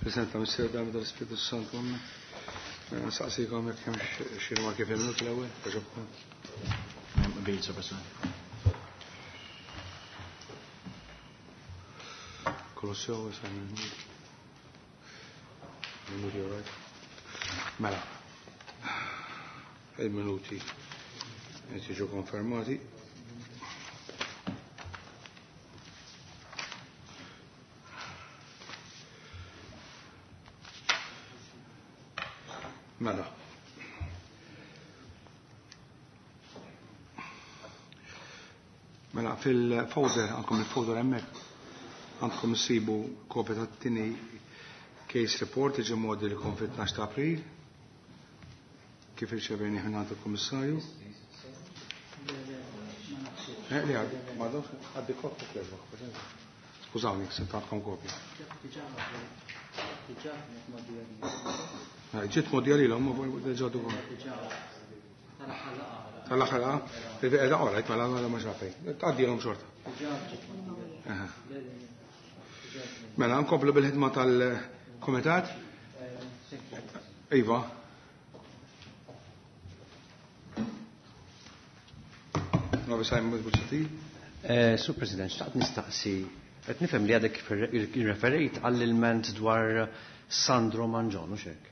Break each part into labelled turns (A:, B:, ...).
A: President tal-Missier tal-Ispirtu Santu. Amen. Saqsikom jekk hemm xi rimarki fil-minut l-ewwel, għaġobkom.
B: Qbil, Sur President.
A: Kolosseo, Minuti, all right. Mela. Il-minuti qed jiġu konfermati. Mela. Mela, fil-folder, għandkom il-folder hemmhekk, għandkom issibu kopja tat-tieni case report li ġie mgħoddi lilkom fit-12 ta' April. Kif irċevejni minn għand il-Kummissarju? Eh, li għad, ma għaddi kopja kieġbok. Skużawni, se għandkom kopja. Eh, ġiet modja li l-om, ma ġadu Tal-aħħar laqa? Qiegħda orajt mela mela ma xafej. Tgħaddilhom xorta. Mela nkomplu bil-ħidma tal-kumitat. Iva. Novi Simon Buċati.
C: Eh, Sur President, xtaqt nistaqsi, qed nifhem li għadek referejt għall-ilment dwar Sandro Mangion, u xek?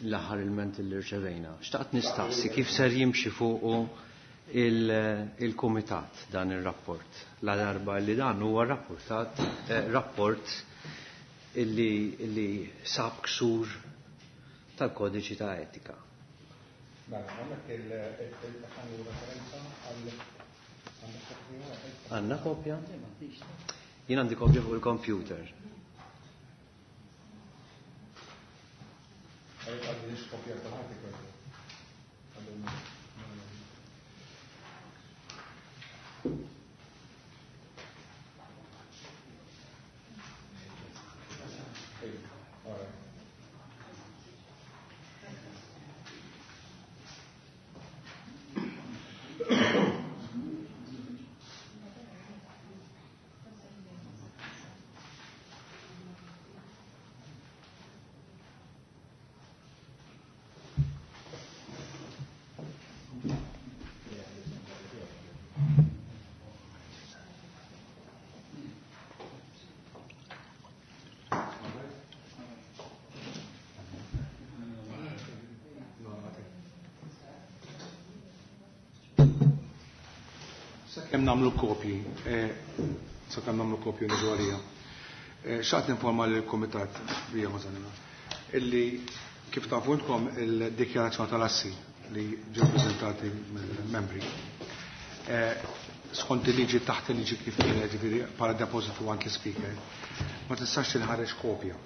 C: L-aħħar ilment li rċevejna. Xtaqt nistaqsi kif ser jimxi fuqu il-kumitat dan ir-rapport. La darba li dan huwa rapportat eh, rapport illi, illi sab ksur tal-kodiċi ta' etika.
A: Mela, għandek il-referenza għal
C: Għanna kopja? Jien għandi kopja fuq il-computer.
A: Sakemm nagħmlu kopji, eh, sakemm nagħmlu kopji niġu għalija. Eh, xaqt informa lill-Kumitat bija Mażanina illi kif tafu intkom il-dikjarazzjoni tal-assi li ġew preżentati mill-membri. Eh, skont il-liġi taħt il-liġi kif kienet ġifieri bħala depositu għand l-speaker, ma tistax tinħareġ kopja.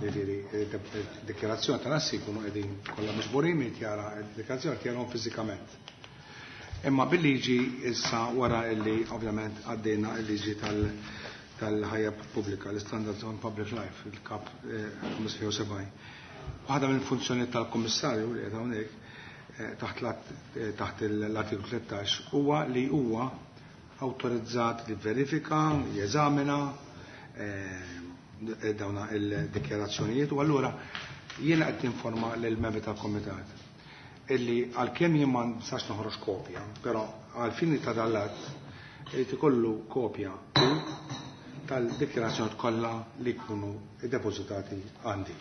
A: Ġifieri dikjarazzjoni tal-assi jkunu qegħdin kollha miġburin min jara d-dikjarazzjoni jarahom fiżikament. Imma bil-liġi issa wara illi ovvjament għaddejna il-liġi tal-ħajja pubblika, l-Standards on Public Life, il-kap 75. Eh, Waħda mill-funzjoni tal-Kummissarju li qed hawnhekk eh, taħt eh, taħt l-artiklu 13 huwa li huwa awtorizzat li verifika, jeżamina dawna il-dikjarazzjonijiet u allura jiena qed tinforma lill-membri tal-Komitat illi għalkemm jien ma nistax noħroġ kopja, però għal fini ta' dal-att irid ikollu kopja tal-dikjarazzjoni kollha li jkunu iddepożitati għandi.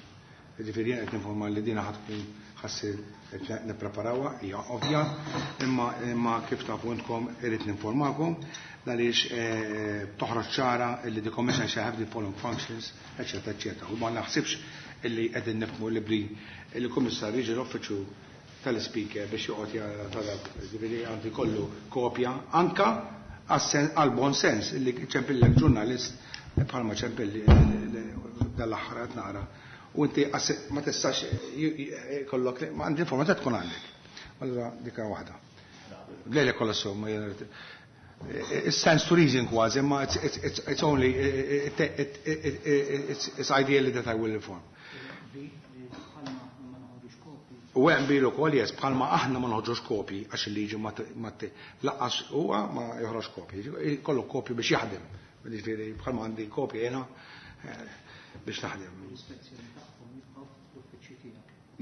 A: Ġifieri jien qed ninforma li dina ħa tkun ħassir qed nippreparawha hija ovvja, imma imma kif tafu intkom irid ninformakom għaliex eh, toħroġ ċara illi the commission shall have the following functions, eċetera, eċetera. U ma naħsibx illi qegħdin nifhmu li bli il-kummissarju jiġi l-uffiċċju tal-speaker biex joqgħod jara tal ġifieri għandu jkollu kopja anka għal bon sens illi ċempillek ġurnalist bħalma ċempilli dal-aħħar qed naqra. U inti ma tistax kollok ma għandi informazzjoni tkun għandek. Allura dika waħda. Lele kollha sew ma it stands to reason kważi, imma it's only it's ideally that I will inform. U hemm bilu wkoll jes bħalma aħna ma noħorġux kopji għax il-liġi ma laqqas huwa ma joħroġ kopji. Kollu kopji biex jaħdem. Ġifieri bħalma għandi kopji jiena biex naħdem.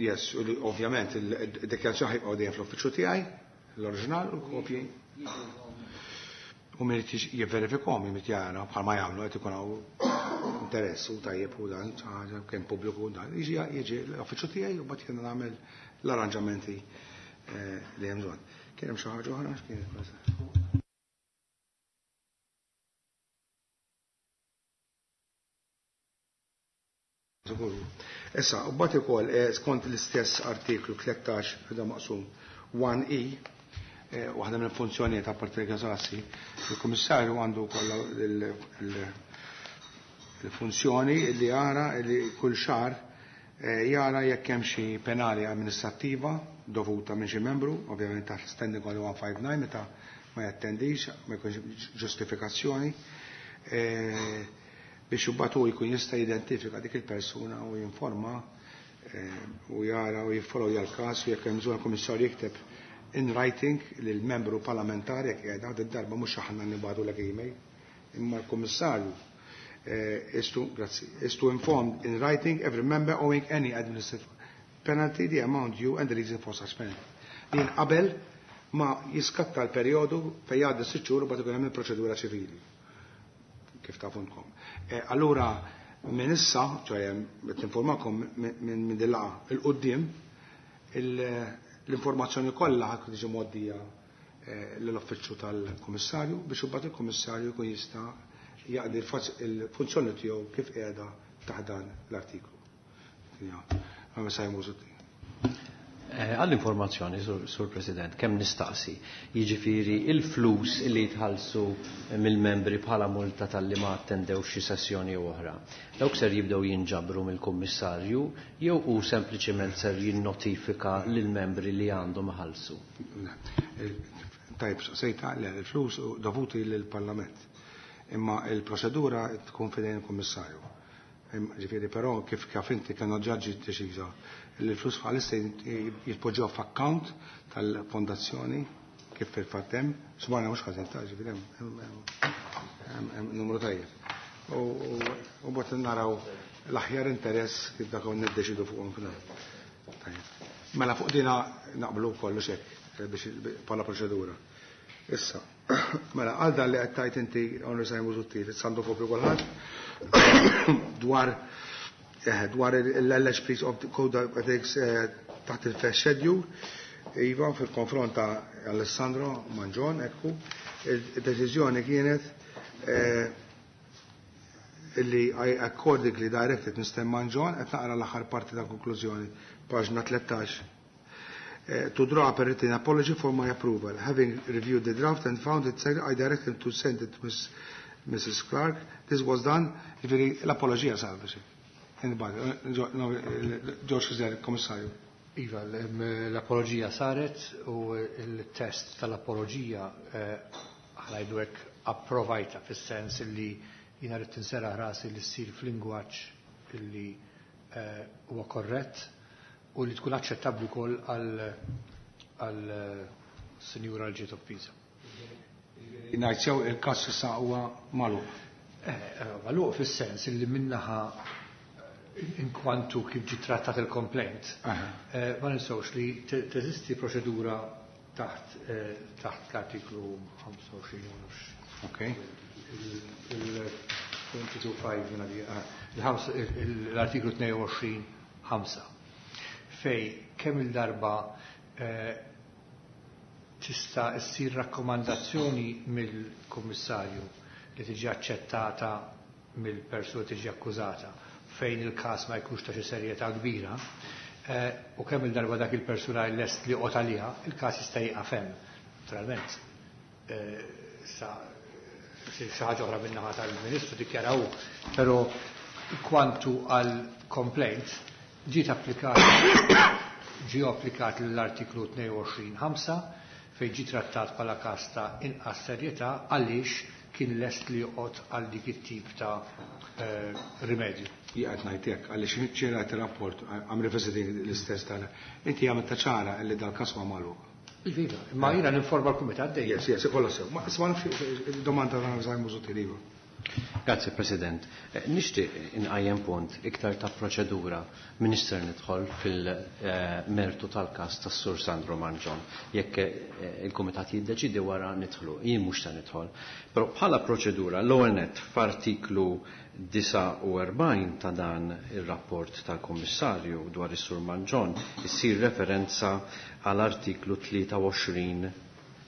A: Yes, u li ovvjament il-dikjarazzjoni ħajbqgħu dejjem fl-uffiċċju tiegħi, l-oriġinal u l-kopji. U min irid jivverifikhom irid jara bħalma jagħmlu qed ikun hawn interess u tajjeb u dan ħaġa kemm pubbliku u dan. Jiġi jiġi l-uffiċċju tiegħi u mbagħad jiena nagħmel l-arranġamenti li hemm bżonn. Kien hemm xi ħaġa oħra x'kienet? Issa, u mbagħad ukoll skont l-istess artiklu 13 da maqsum 1E, waħda mill-funzjonijiet apparti l-gazassi, il-Kummissarju għandu wkoll il-funzjoni li jara li kull xahar jara jekk hemm xi penali amministrattiva dovuta minn xi membru, ovvjament taħt Standing Order 159 meta ma jattendix, ma jkunx ġustifikazzjoni, biex imbagħad hu jkun jista' jidentifika dik il-persuna u jinforma u jara u jiffollowja l-każ u jekk hemm bżonn il-Kummissarju jikteb in writing lil membru parlamentari jekk qiegħda id-darba mhux aħna nibgħatu lek email, imma l-Kummissarju is to, grazzi, is to inform in writing every member owing any administrative penalty, the amount due and the reason for such penalty. Din qabel ma jiskatta l-perjodu fejn jgħaddi 6 xhur u bagħad ikun hemm il-proċedura ċivili. Kif tafuntkom. Allura minn issa, ċoħe, qed ninformakom minn din laqgħa il-qudiem, l-informazzjoni kollha ħadd tiġi mgħoddija lill-uffiċċju tal-Kummissarju biex imbagħad il-Kummissarju jkun jista' jaqdi il-funzjoni tiegħu kif qiegħda taħt dan l-artiklu.
C: Għall-informazzjoni, Sur President, kemm nistaqsi, jiġifieri il-flus li jitħallsu mill-membri bħala multa tal-li ma attendew xi sessjoni oħra. Dawk ser jibdew jinġabru mill-Kummissarju jew hu sempliċement ser jinnotifika lill-membri li għandhom iħallsu?
A: Tajb, sejta, le, il-flus dovuti lill-Parlament. Imma il-proċedura tkun fidejn il-Kummissarju. Ġifieri, però kif kif inti kienu ġaġġi deċiża li l-flus bħalissa jitpoġġew f'account tal-fondazzjoni kif fil-fatt hemm, smajna mhux ħażin ta' ġifieri hemm numru tajjeb. U bot naraw l-aħjar interess kif dak niddeċidu fuqhom fil. Mela fuq dina naqblu kollox hekk biex bħala proċedura. Issa, mela għal dan li qed tajt inti Honorable Simon Busuttil, sandu kopju kulħadd dwar l-alleged breach of the Code of Ethics taħt il-First Schedule, iva fil-konfront ta' Alessandro Mangion, ekku, il-deċiżjoni kienet illi I accordingly directed Mr. Mangion, qed naqra l-aħħar parti ta' konklużjoni, paġna 13, to draw up a written apology for my approval. Having reviewed the draft and found it, I directed him to send it to Mrs. Clark. This was done, ġifieri l-apologija sar biex. George Kizer, Komissarju.
D: Iva, l-apologija saret u il-test tal-apologija ħalajdu hekk approvajta fis-sens li jiena rrid tinserraħ rasi li ssir f'lingwaġġ illi huwa korrett u li tkun aċċettabbli wkoll għal sinjura l ġiet offiża.
A: Ngħid sew il-każ issa huwa magħluq.
D: Magħluq fis-sens illi minnaħa inkwantu kif ġi trattat il-complaint, ma ninsewx li teżisti proċedura taħt l-artiklu 25 u nafx. Il-22.5 jiena di, l-artiklu 22.5 fej kemm il-darba tista' ssir rakkomandazzjoni mill-Kummissarju li tiġi aċċettata mill-persuna tiġi akkużata fejn il-każ ma jkunx ta' xi serjetà kbira, u kemm il-darba dak il-persuna lest li qgħod għaliha, il-każ jista' jieqaf hemm. Naturalment, sa xi ħaġa oħra min-naħa tal-Ministru dikjaraw, però kwantu għal complaint ġiet applikat ġie applikat l-artiklu 22.5 fejn ġie trattat bħala każ ta' inqas serjetà għaliex kien lest li joqgħod għal dik it-tip ta' rimedju.
A: Jien qed ngħid hekk għaliex ċera rapport I'm revisiting l-istess tal. Inti għamilt ta' ċara li dal-każ huwa magħluq.
D: Iva, imma jiena ninforma l-kumitat dejjem.
A: Yes, yes, kollha sew. Ma isma' nafx domanda ta' Simon Busuttil, iva.
C: Grazie, President. Nixtieq inqajjem punt iktar ta' proċedura minister nidħol fil-mertu tal-każ tas-Sur Sandro Mangion. Jekk il-Kumitat jiddeċidi wara nidħlu, jien mhux se nidħol. Però bħala proċedura l-ewwel nett f'artiklu 49 ta' dan ir-rapport tal-Kummissarju dwar is-Sur Mangion issir referenza għal artiklu 23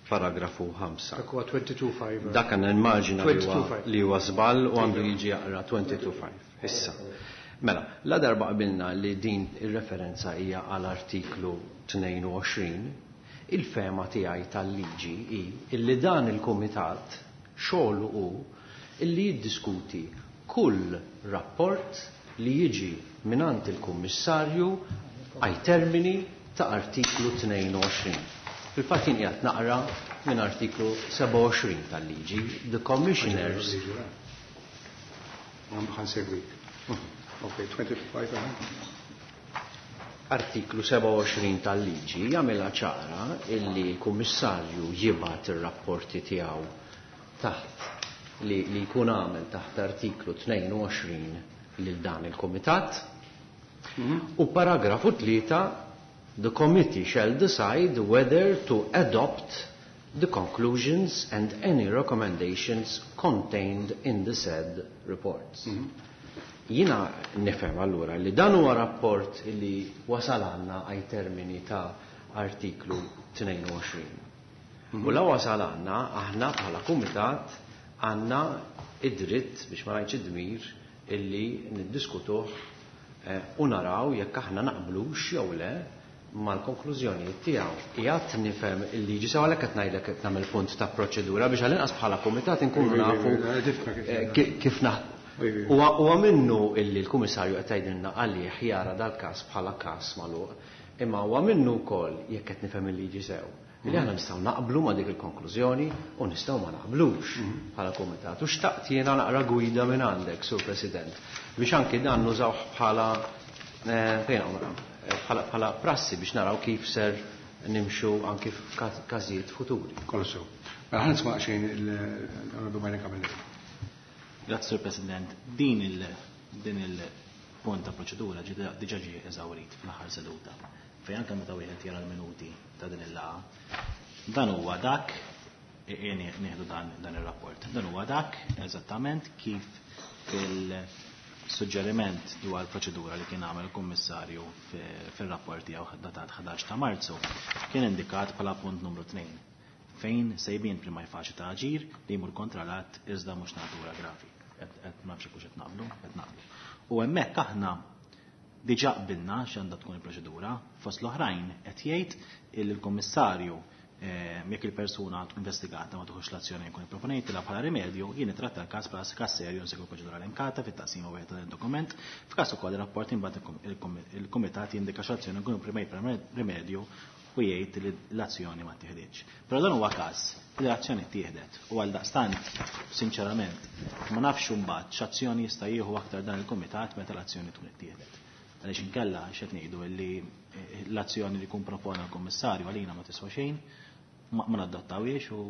C: paragrafu 5.
D: Dak huwa 22.5.
C: Dak għandna immaġina li huwa
D: 22.5.
C: li huwa żball u għandu jiġi jaqra 22.5. Issa. Mela, la darba qabilna li din ir-referenza hija għal artiklu 22, il-fema tiegħi tal-liġi hi illi dan il-kumitat xogħlu hu illi jiddiskuti kull rapport li jiġi mingħand il-kummissarju ai termini ta' artiklu 22. Fil-fatt jien qiegħed naqra minn artiklu 27 tal-liġi, the commissioners
A: Ħa nsegwik. Ok, 25,
C: Artiklu 27 tal-liġi jagħmilha ċara illi l-kummissarju jibgħat ir-rapporti tiegħu taħt li jkun għamel taħt artiklu 22 lil dan il-kumitat. U paragrafu 3, the committee shall decide whether to adopt the conclusions and any recommendations contained in the said reports. Jina nifhem allura li dan huwa rapport li wasal għandna ai termini ta' artiklu 22. U la wasal għandna, aħna bħala kumitat għandna id-dritt biex ma ngħidx id-dmir illi niddiskutuh u naraw jekk aħna naqblux jew le mal-konklużjonijiet tiegħu. Qiegħed nifhem il-liġi sew għalhekk qed ngħidlek qed nagħmel punt ta' proċedura biex għall-inqas bħala kumitat inkunu nafu kif naħ- Huwa minnu illi l-Kummissarju qed jgħidilna għalih jara dal-każ bħala każ magħluq, imma huwa minnu wkoll jekk qed nifhem il-liġi sew. Li aħna nistgħu naqblu ma' dik il-konklużjoni u nistgħu ma naqblux bħala kumitat. U xtaqt jiena naqra gwida minn għandek, Sur President, biex anki dan nużawh fejn hawn naqra, bħala prassi biex naraw kif ser nimxu anki f'każijiet futuri.
A: Kollu sew. Mela ħa nisma' xejn il-Onorevoli Byron Camilleri.
B: Grazzi, Sur President. Din il-punt ta' proċedura diġà ġie eżawrit fl-aħħar seduta. Fejn anke meta wieħed jara l-minuti ta' din il-laqgħa, dan huwa dak, nieħdu dan ir-rapport. Dan huwa dak eżattament kif fil-suġġeriment dwar proċedura li kien għamel il-Kummissarju fil-rapport tiegħu datat 11 ta' Marzu kien indikat bħala punt numru 2 fejn sejbien prima faċi ta' aġir li jmur kontra l-att iżda mhux natura gravi. Et ma nafx hux qed naqblu, qed naqblu. U hemmhekk aħna diġà qbilna x'għandha tkun il-proċedura, fost l-oħrajn qed jgħid il l-Kummissarju jekk il-persuna tkun investigata ma tieħux l-azzjoni jkun ipproponejtilha bħala rimedju, jien nitratta l-każ bħala każ serju nsegwu proċedura elenkata fit-taqsima wieħed ta' dokument, f'każ ukoll ir-rapport imbagħad il-kumitat jindika x'azzjoni jkun imprimejt bħala rimedju u jgħid li l-azzjoni ma tieħdietx. Però dan huwa każ li l-azzjoni tieħdet u għal daqstant, sinċerament, ma nafx imbagħad x'azzjoni jista' jieħu aktar dan il-kumitat meta l-azzjoni tkun ittieħdet. Għaliex inkella x'qed ngħidu li l-azzjoni li jkun propona l-Kummissarju għalina ma tiswa xejn, ma nadattawiex u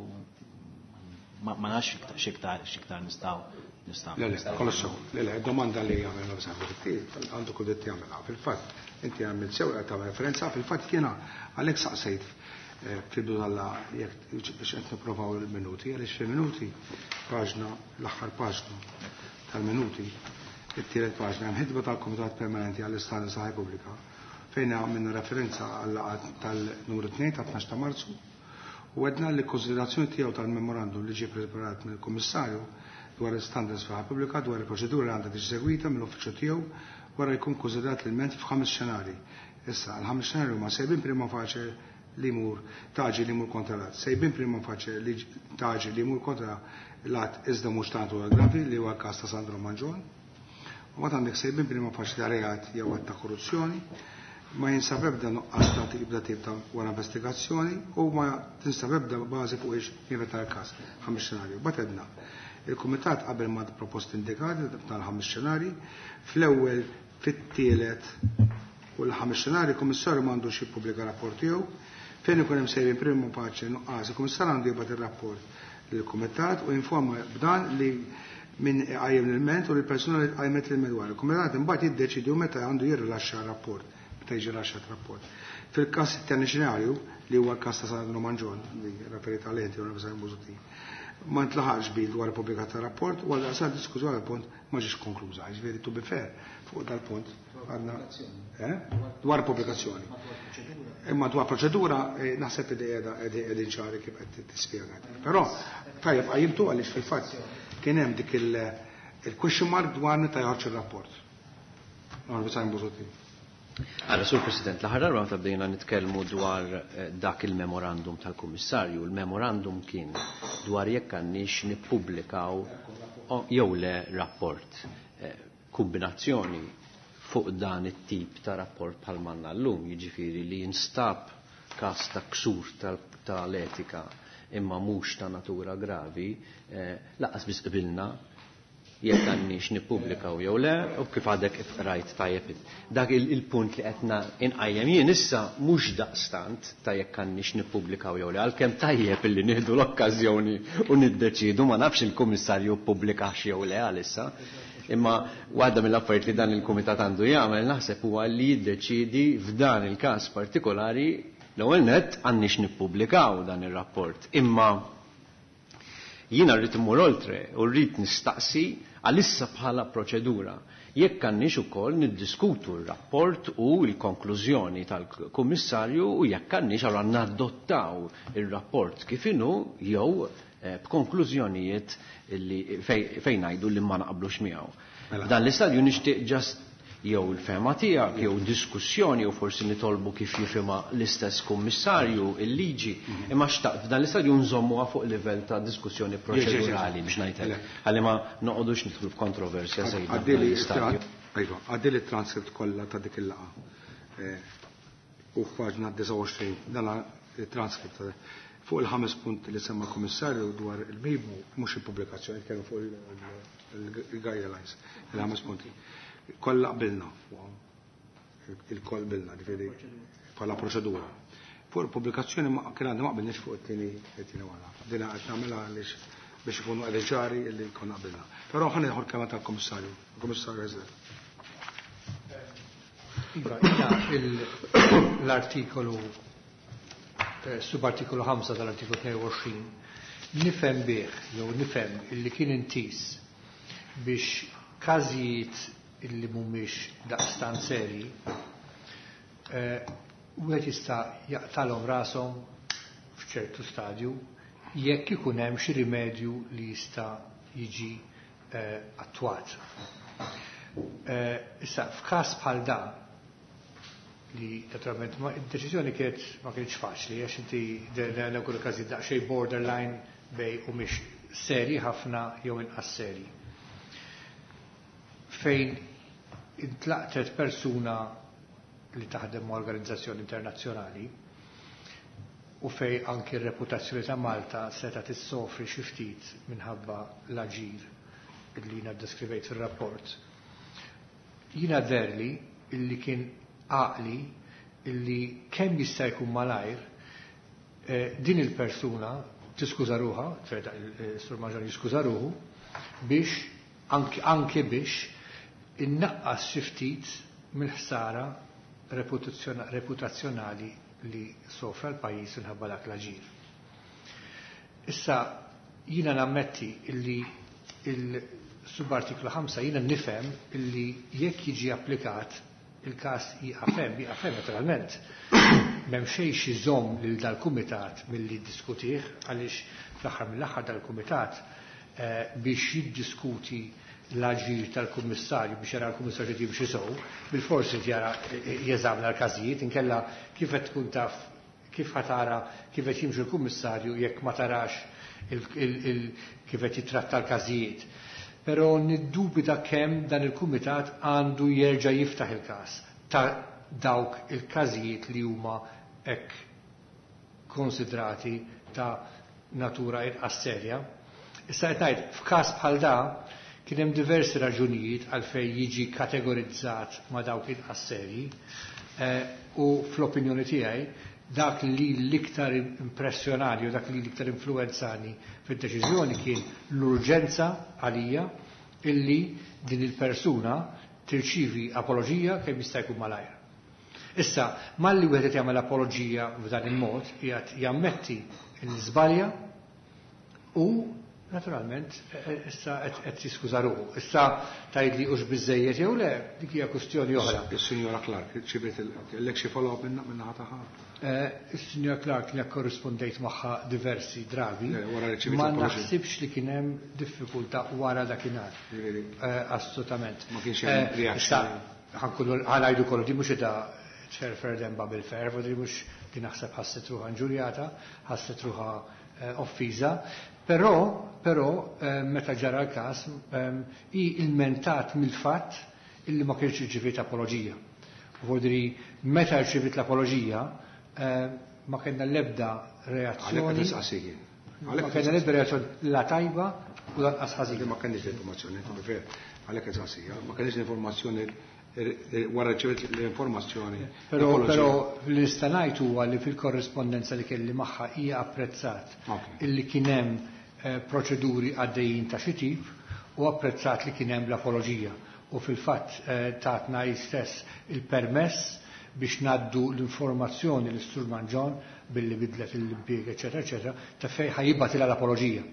B: ma nafx x'iktar nistgħu.
A: Le, le, kollu sew. Le, le, domanda li għamel għandu kull dritt jagħmilha. Fil-fatt, inti għamilt sew qed tagħmel referenza, fil-fatt jiena għalhekk saqsejt fil-bidu tal-laqgħa jekk biex qed nipprovaw il-minuti, għaliex fil-minuti paġna, l-aħħar paġna tal-minuti, it-tielet paġna hemm ħidba tal-Kumitat Permanenti għall-Istandards ta' Ħajja Pubblika fejn għamilna referenza għal-laqgħa tal-numru 2 ta' 12 ta' Marzu u għedna li konsiderazzjoni tiegħu tal-memorandum li ġie preparat mill-Kummissarju dwar il-standards fil-ħajja pubblika dwar il-proċedura li għandha tiġi segwita mill-uffiċċju tiegħu wara li jkun konsidrat l-ilment f'ħames xenarji. Issa, l-ħames xenarji huma sejbin prima facie li jmur taġi li jmur kontra l-att. Sejbin prima facie li taġi li jmur kontra l-att iżda mhux ta' natura gravi li huwa l-każ ta' Sandro Mangion. U mbagħad għandek sejbin prima facie ta' reat jew att ta' korruzzjoni, ma jinsab ebda nuqqas ta' tibda tip ta' wara investigazzjoni u ma tinsab ebda bażi fuq ix jinventa l-każ ħames xenarju. Bagħad għedna il-Kumitat qabel ma proposti indikati tal-ħames xenarji, fl-ewwel, fit-tielet u l-ħames xenarji, il-Kummissarju m'għandux jippubblika rapport tiegħu. Fejn ikun hemm sejrin prima paċe nuqqas, il-Kummissarju għandu jibgħat ir-rapport lill-Kumitat u jinforma b'dan li Min iqajjem l-ilment u l-persuna li tqajmet l-ilment dwar. Il-kumitat imbagħad jiddeċidu meta għandu jirrilaxxa rapport, meta jiġi rilaxxat rapport. Fil-każ it-tieni xenarju, li huwa l-każ ta' Sandro Mangion, li referit għalih inti Onorevoli Busuttil, ma ntlaħaqx qbil dwar il-pubblika ta' rapport u għaldaqstant diskussjoni għal punt ma ġiex konkluża. Ġifieri to be fair fuq dal-punt għandna eh? dwar pubblikazzjoni. Imma dwar proċedura eh, naħseb li qiegħda qegħdin ċari kif qed tispjega. Però tajjeb qajjimtu għaliex fil-fatt kien hemm dik il-question mark dwar meta joħroġ ir-rapport. Onorevoli Simon Busuttil.
C: Għala, Sur President, l-aħħar darba meta bdejna nitkellmu dwar eh, dak il-memorandum tal-Kummissarju, il-memorandum kien dwar jekk għandniex nippubblikaw jew le rapport. Eh, kombinazzjoni fuq dan it-tip ta' rapport bħal manna llum, jiġifieri li jinstab każ ta' ksur tal-etika imma mhux ta' natura gravi, eh, lanqas biss qbilna jekk għandniex nippubblikaw jew le, u kif għadek kif rajt tajjeb. Dak il-punt li qed inqajjem jien issa mhux daqstant ta' jekk għandniex nippubblikaw jew le, għalkemm tajjeb illi nieħdu l-okkażjoni u niddeċidu, ma nafx il-kummissarju ppubblikax jew le għalissa. Imma waħda mill-affarijiet li dan il-kumitat għandu jagħmel naħseb huwa li jiddeċidi f'dan il-każ partikolari l-ewwel nett għandniex nippubblikaw dan ir-rapport. Imma jiena rrid immur oltre u rrid nistaqsi għalissa bħala proċedura jekk għandniex ukoll niddiskutu r-rapport u l-konklużjoni tal-Kummissarju u jekk għandniex allura nadottaw ir-rapport kif inhu jew eh, b'konklużjonijiet li fejn ngħidu li ma naqblux miegħu.
A: Mela.
C: Dan l-istadju nixtieq just jew il-fehma tiegħek jew diskussjoni jew forsi nitolbu kif jifhimha l-istess kummissarju il-liġi imma xtaqt f'dan l-istadju nżommuha fuq livell ta' diskussjoni proċedurali biex ngħidlek ħalli ma noqogħdux nidħlu f'kontroversja żejda f'dan
A: Għaddili
C: l-istadju.
A: Iva, għaddili transcript kollha ta' dik il-laqgħa. Eh, U f'paġna 29 dan il-transcript fuq il-ħames punt li semma l-Kummissarju dwar il-MIBU mhux il-pubblikazzjoni, kellu fuq il-guidelines, il-ħames punti. Kollha qbilna fuqhom. Il-koll qbilna, ġifieri bħala proċedura. Fuq il-pubblikazzjoni ma kien għandna ma qbilniex fuq it-tieni wara. Dina qed nagħmilha għaliex biex ikunu qegħdin ċari li konna qbilna. Però ħa nieħu l-kelma tal-Kummissarju, il-Kummissarju Hyzler.
D: Iva, jiena l-artikolu, eh, subartikolu 5 tal-artikolu 22, nifhem bih, jew nifhem illi kien intis biex każijiet illi mhumiex daqstant seri, eh, wieħed jista' jaqtalhom rashom f'ċertu stadju jekk ikun hemm xi rimedju li jista' jiġi eh, attwat. Eh, issa, f'każ bħal dan, li naturalment ma id-deċiżjoni kienet ma kienx faċli għax inti dan kull każi daqsxejn borderline bejn u mhix seri ħafna jew inqas seri. Fejn intlaqtet persuna li taħdem ma' organizzazzjoni internazzjonali u fej anki r-reputazzjoni ta' Malta seta tissofri xi ftit minħabba l-aġir li jiena ddeskrivejt fir-rapport. Jiena deherli illi kien għaqli illi kemm jista' jkun malajr eh, din il-persuna tiskuża ruħha, il-Sur Mangion jiskuża ruħu, biex anke, anke biex innaqqas xi ftit mill-ħsara reputazzjonali li sofra l-pajjiż minħabba dak l-aġir. Issa jiena nammetti illi il-subartiklu 5 jiena nifhem illi jekk jiġi applikat il-każ jieqaf hemm, jieqaf hemm naturalment. M'hemm xejn xi żomm lil dal-kumitat milli jiddiskutih għaliex fl-aħħar mill-aħħar dal-kumitat eh, biex jiddiskuti l-aġir tal-kummissarju biex jara l-kummissarju jimxi sew, bil-forsi jara jeżamna l-każijiet, inkella kif qed tkun taf kif ħa tara kif qed jimxi l-kummissarju jekk ma tarax kif qed jitratta l-każijiet. Però niddubita kemm dan il-kumitat għandu jerġa' jiftaħ il-każ ta' dawk il-każijiet li huma hekk konsidrati ta' natura inqas serja. Issa qed ngħid f'każ bħal da kien hemm diversi raġunijiet għalfejn jiġi kategorizzat ma' dawk inqas serji eh, u fl-opinjoni tiegħi Dak li l-iktar impressjonani u dak li l-iktar influenzani fid-deċiżjoni kien l-urġenza għalija illi din il-persuna tirċivi apoloġija kemm jista' jkun malajr. Issa, malli wieħed qed jagħmel apoloġija f'dan il-mod, qiegħed jammetti l-żbalja u naturalment issa qed jiskuża ruħu. Issa tgħidli hux biżejjed jew le, dik hija kwistjoni oħra.
A: Is-Sinjora Clark, ċiviet kellek xi follow-up min-naħa tagħha?
D: Is-Sinjora Clark li korrispondejt magħha diversi drabi,
A: wara li ċiviet
D: ma
A: l-apoloġija.
D: naħsibx li kien hemm diffikultà wara dakinhar. Assolutament.
A: Ma kienx hemm reaction.
D: Issa, ħanajdu kollu, di mhux da tferfer demba bil-ferv, u di mhux di naħseb ħasset ruħha inġurjata, ħasset ruħha offiża, però meta ġara l-każ, hi ilmentat mill-fatt illi ma kienx irċiviet apoloġija. U vodri meta rċiviet l-apoloġija, ma kellna l-ebda reazzjoni.
A: Għalhekk qed nistaqsik jien.
D: Ma
A: Għalhekk
D: kellna l-ebda reazzjoni la tajba u lanqas ħażina.
A: Ma kellniex l-informazzjoni, to be fair. Għalhekk qed nistaqsik, ma kellniex l-informazzjoni wara rċiviet l-informazzjoni.
D: Però
A: Apoloġija.
D: li nista' ngħid huwa li fil-korrispondenza li kelli magħha hija apprezzat illi kien hemm proċeduri għaddejjin ta' xi tip u apprezzat li kien hemm l-apoloġija. U fil-fatt tatna hi stess il-permess biex naddu l-informazzjoni l Sur Mangion billi bidlet l-impjieg, eċetera, eċetera, ta' fejn ħajibgħatilha l-apoloġija.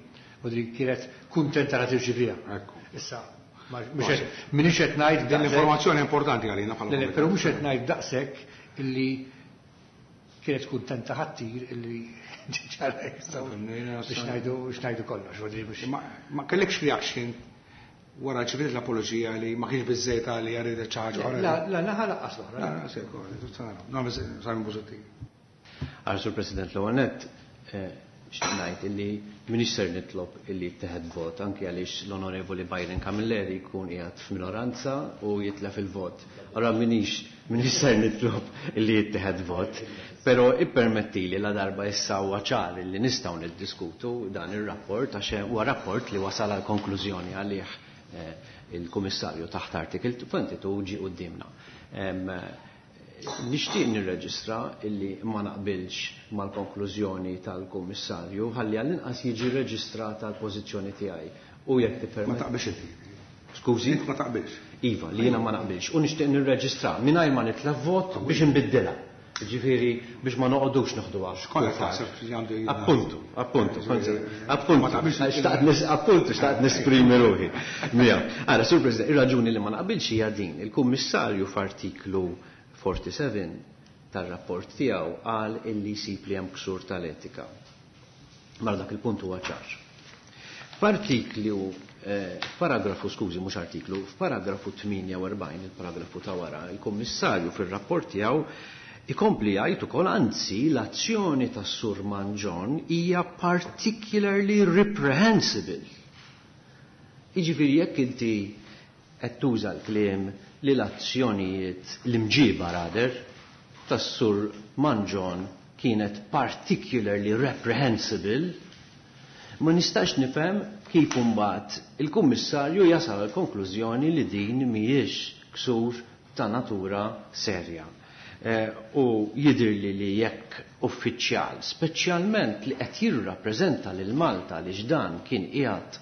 D: U dik kienet kuntenta li tirċiviha. Issa, minix qed ngħid
A: Din
D: daqshekk
A: l-informazzjoni importanti għalina bħala
D: Le, le,
A: komitat.
D: però mhux qed ngħid daqshekk illi kienet kuntenta ħattir illi ġara hekk, so, biex ngħidu kollox, vuol dire biex
A: Ma kellekx reaction wara ċiviet l-apoloġija li ma kienx biżejjed għalli għarridet xi ħaġa oħra?
D: La, la, naħa laqqas l-oħra.
A: La, la, se, ko, se, naraw. No, biss, Simon Busuttil.
C: Għal Sur President, l-ewwel nett xtaqt ngħid illi m'iniex ser nitlob illi jittieħed vot anke għaliex l-Onorevoli Byron Camilleri jkun qiegħed f'minoranza u jitlef il-vot. Allora m'iniex ser nitlob illi jittieħed vot, però ippermettili la darba issa huwa ċar illi nistgħu niddiskutu dan ir-rapport għax huwa rapport li wasal għal konklużjoni għalih il-Kummissarju taħt artikel 22 ġie quddiemna. Nixtieq nirreġistra illi ma naqbilx mal-konklużjoni tal-Kummissarju ħalli għall-inqas jiġi reġistrata l-pożizzjoni tiegħi. U jekk tippermetti.
A: Ma taqbilx inti.
C: Skużi?
A: Int ma taqbilx.
C: Iva, li jiena ma naqbilx. U nixtieq nirreġistra mingħajr ma nitlef vot biex nbiddilha. Ġifieri biex ma noqogħdux noħduha.
A: X'kollha taħseb li għandu jien?
C: Appuntu, appuntu,
A: Ġifieri,
C: appuntu.
A: ma taqbilx inti.
C: Xtaqt appuntu, xtaqt nesprimi ruħi. Mija. Ara, Sur President, ir-raġuni li ma naqbilx hija din. Il-Kummissarju f'artiklu 47 tar-rapport tiegħu qal illi jsib li hemm ksur tal-etika. Mela dak il-punt huwa ċar. F'artiklu paragrafu, skużi, mhux artiklu, f'paragrafu 48, il-paragrafu ta' wara, il-Kummissarju fir-rapport tiegħu ikompli jgħid ukoll anzi l-azzjoni tas-Sur Mangion hija particularly reprehensible. Jiġifieri jekk inti qed tuża l-kliem li l-azzjonijiet l-imġiba rader tas-Sur Mangion kienet particularly reprehensible, ma nistax nifhem kif imbagħad il-Kummissarju jasal għal konklużjoni li din mhijiex ksur ta' natura serja. U jidirli li jekk uffiċjal, speċjalment li qed jirrappreżenta lil Malta li x'dan kien qiegħed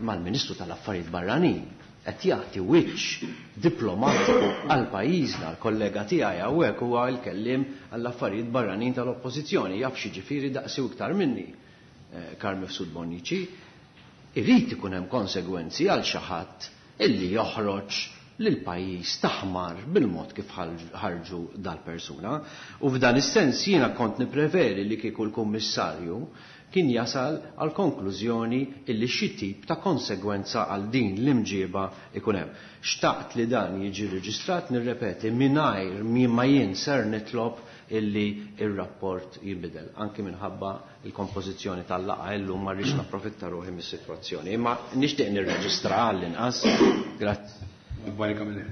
C: mal-Ministru tal-Affarijiet Barranin, qed jagħti wiċċ diplomatiku għal pajjiżna, l-kollega tiegħi hawnhekk huwa l-kelliem għall-affarijiet barranin tal-Oppożizzjoni, jaf xi ġifieri daqsi iktar minni, Carm Mifsud Bonnici, irid ikun hemm konsegwenzi għal xi ħadd illi joħroġ lil pajjiż taħmar bil-mod kif ħarġu dal-persuna. U f'dan is-sens jiena kont nippreferi li kieku l-Kummissarju kien jasal għal konklużjoni illi xi tip ta' konsegwenza għal din l-imġiba ikun hemm. Xtaqt li dan jiġi reġistrat, nirrepeti, mingħajr ma jien ser nitlob illi ir-rapport jinbidel, anki minħabba il-kompożizzjoni tal-laqgħa illum ma rridx napprofitta ruħi mis-sitwazzjoni, imma nixtieq nirreġistra għall-inqas. Grazzi.
A: Barika minn.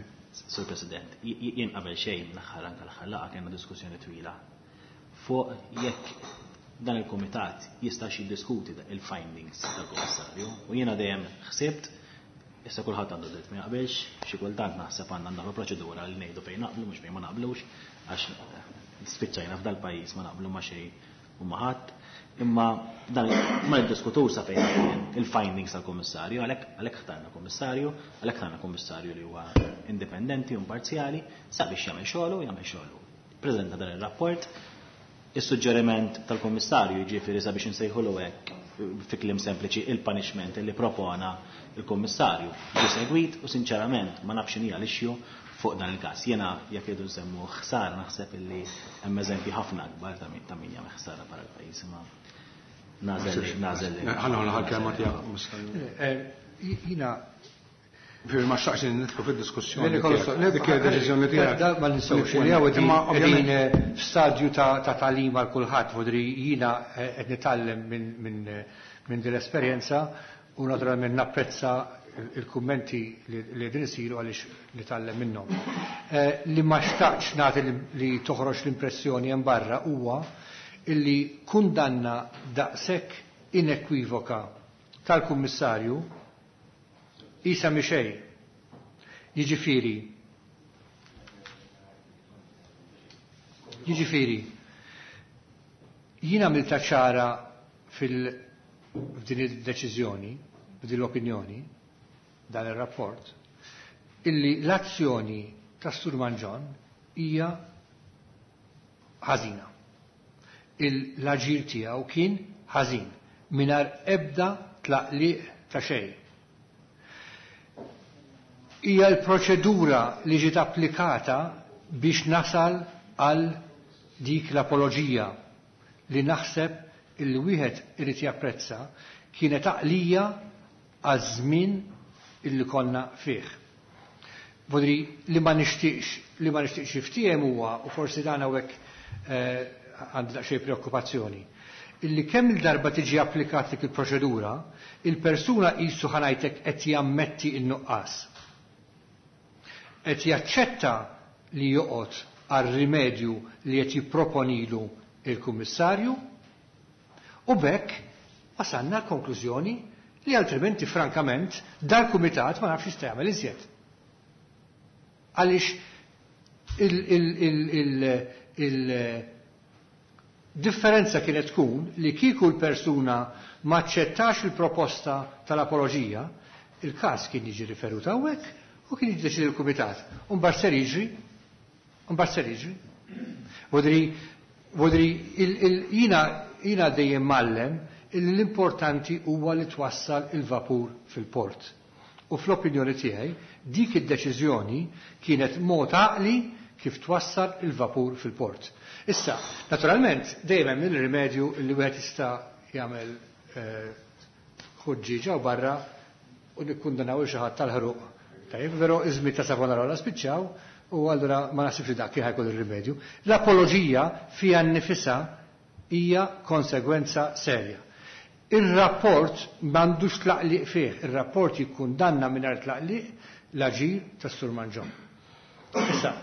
B: Sur President, jien qabel xejn l-aħħar anke l-aħħar laqgħa kellna diskussjoni twila fuq jekk dan il-kumitat jistax jiddiskuti il-findings tal-Kummissarju u jiena dejjem ħsibt issa kulħadd għandu dritt ma jaqbilx, xi kultant naħseb għandna nagħmlu proċedura li ngħidu fejn naqblu mhux fejn ma naqblux għax Spiċċajna f'dal-pajjiż ma naqblu ma' xejn u ma' ħadd, imma dan ma niddiskutux sa fejn il-findings tal-Kummissarju, għalhekk ħtarna Kummissarju, għalhekk ħtarna Kummissarju li huwa indipendenti u imparzjali sabiex jagħmel xogħlu jagħmel xogħlu. Preżenta dan ir-rapport, is-suġġeriment tal-Kummissarju, jiġifieri sabiex insejħulu hekk fi kliem sempliċi il-punishment li propona il-Kummissarju ġie segwit u sinċerament ma nafx x'inhi l-issue fuq dan il-każ. Jiena jekk irridu nsemmu ħsara naħseb illi hemm eżempji ħafna akbar ta' min jagħmel ħsara barra l-pajjiż, imma nagħżel.
A: Ħa nieħu l-aħħar kelma tiegħek, Kummissarju.
D: Jiena
A: Firri ma xtaqx li nidħlu fid-diskussjoni. Dik hija deċiżjoni tiegħek.
D: Ma ninsewx li hawn qegħdin f'stadju ta' tagħlim għal kulħadd, vodri jiena qed nitgħallem minn din l-esperjenza u naturalment napprezza il-kummenti li qegħdin isiru għaliex nitgħallem minnhom. Li ma xtaqx nagħti li toħroġ l-impressjoni hemm barra huwa illi kundanna daqshekk inekwivoka tal-Kummissarju isa mhi xejn. Jiġifieri, jiena għamiltha ċara f'din id-deċiżjoni, f'din l-opinjoni, dan ir-rapport, illi l-azzjoni ta' Sur Mangion hija ħażina. L-aġir tiegħu kien ħażin mingħajr ebda tlaqliq ta' xejn. Hija l-proċedura li ġiet applikata biex nasal għal dik l-apoloġija li naħseb illi wieħed irid japprezza kienet għaqlija għaż-żmien illi konna fih. Vodri li ma nixtieqx li ma nixtieqx jiftiehem huwa, u forsi dan hawnhekk għandi daqsxejn preokkupazzjoni, illi kemm il-darba tiġi applikat dik il-proċedura, il-persuna qisu ħa ngħidlek qed jammetti n-nuqqas. Qed jaċċetta li joqgħod għal rimedju li qed jipproponilu il-Kummissarju u b'hekk wasalna l-konklużjoni li altrimenti frankament dal-kumitat ma nafx jista' jagħmel iżjed. Għaliex il-differenza kienet tkun li kieku l-persuna ma aċċettax il-proposta tal-apoloġija, il-każ kien jiġi riferut hawnhekk u kien jiddeċidi l-kumitat. U mbagħad ser jiġri, mbagħad ser jiġri. Vodri, jiena dejjem mgħallem illi l-importanti huwa li twassal il-vapur fil-port. U fl-opinjoni tiegħi dik id-deċiżjoni kienet mod għaqli kif twassal il-vapur fil-port. Issa, naturalment, dejjem hemm il-rimedju li wieħed jista' jagħmel ħuġġieġa u barra u nikkundanaw xi ħadd tal-ħruq. Tajjeb, però iż-żmien ta' Savonarola spiċċaw u allura ma naħsibx li dak kien ħajkun ir-rimedju. L-apoloġija fiha nnifisha hija konsegwenza serja. Ir-rapport m'għandux tlaqliq fih, ir-rapport jikkundanna mingħajr tlaqliq l-aġir tas-Sur Mangion. Issa,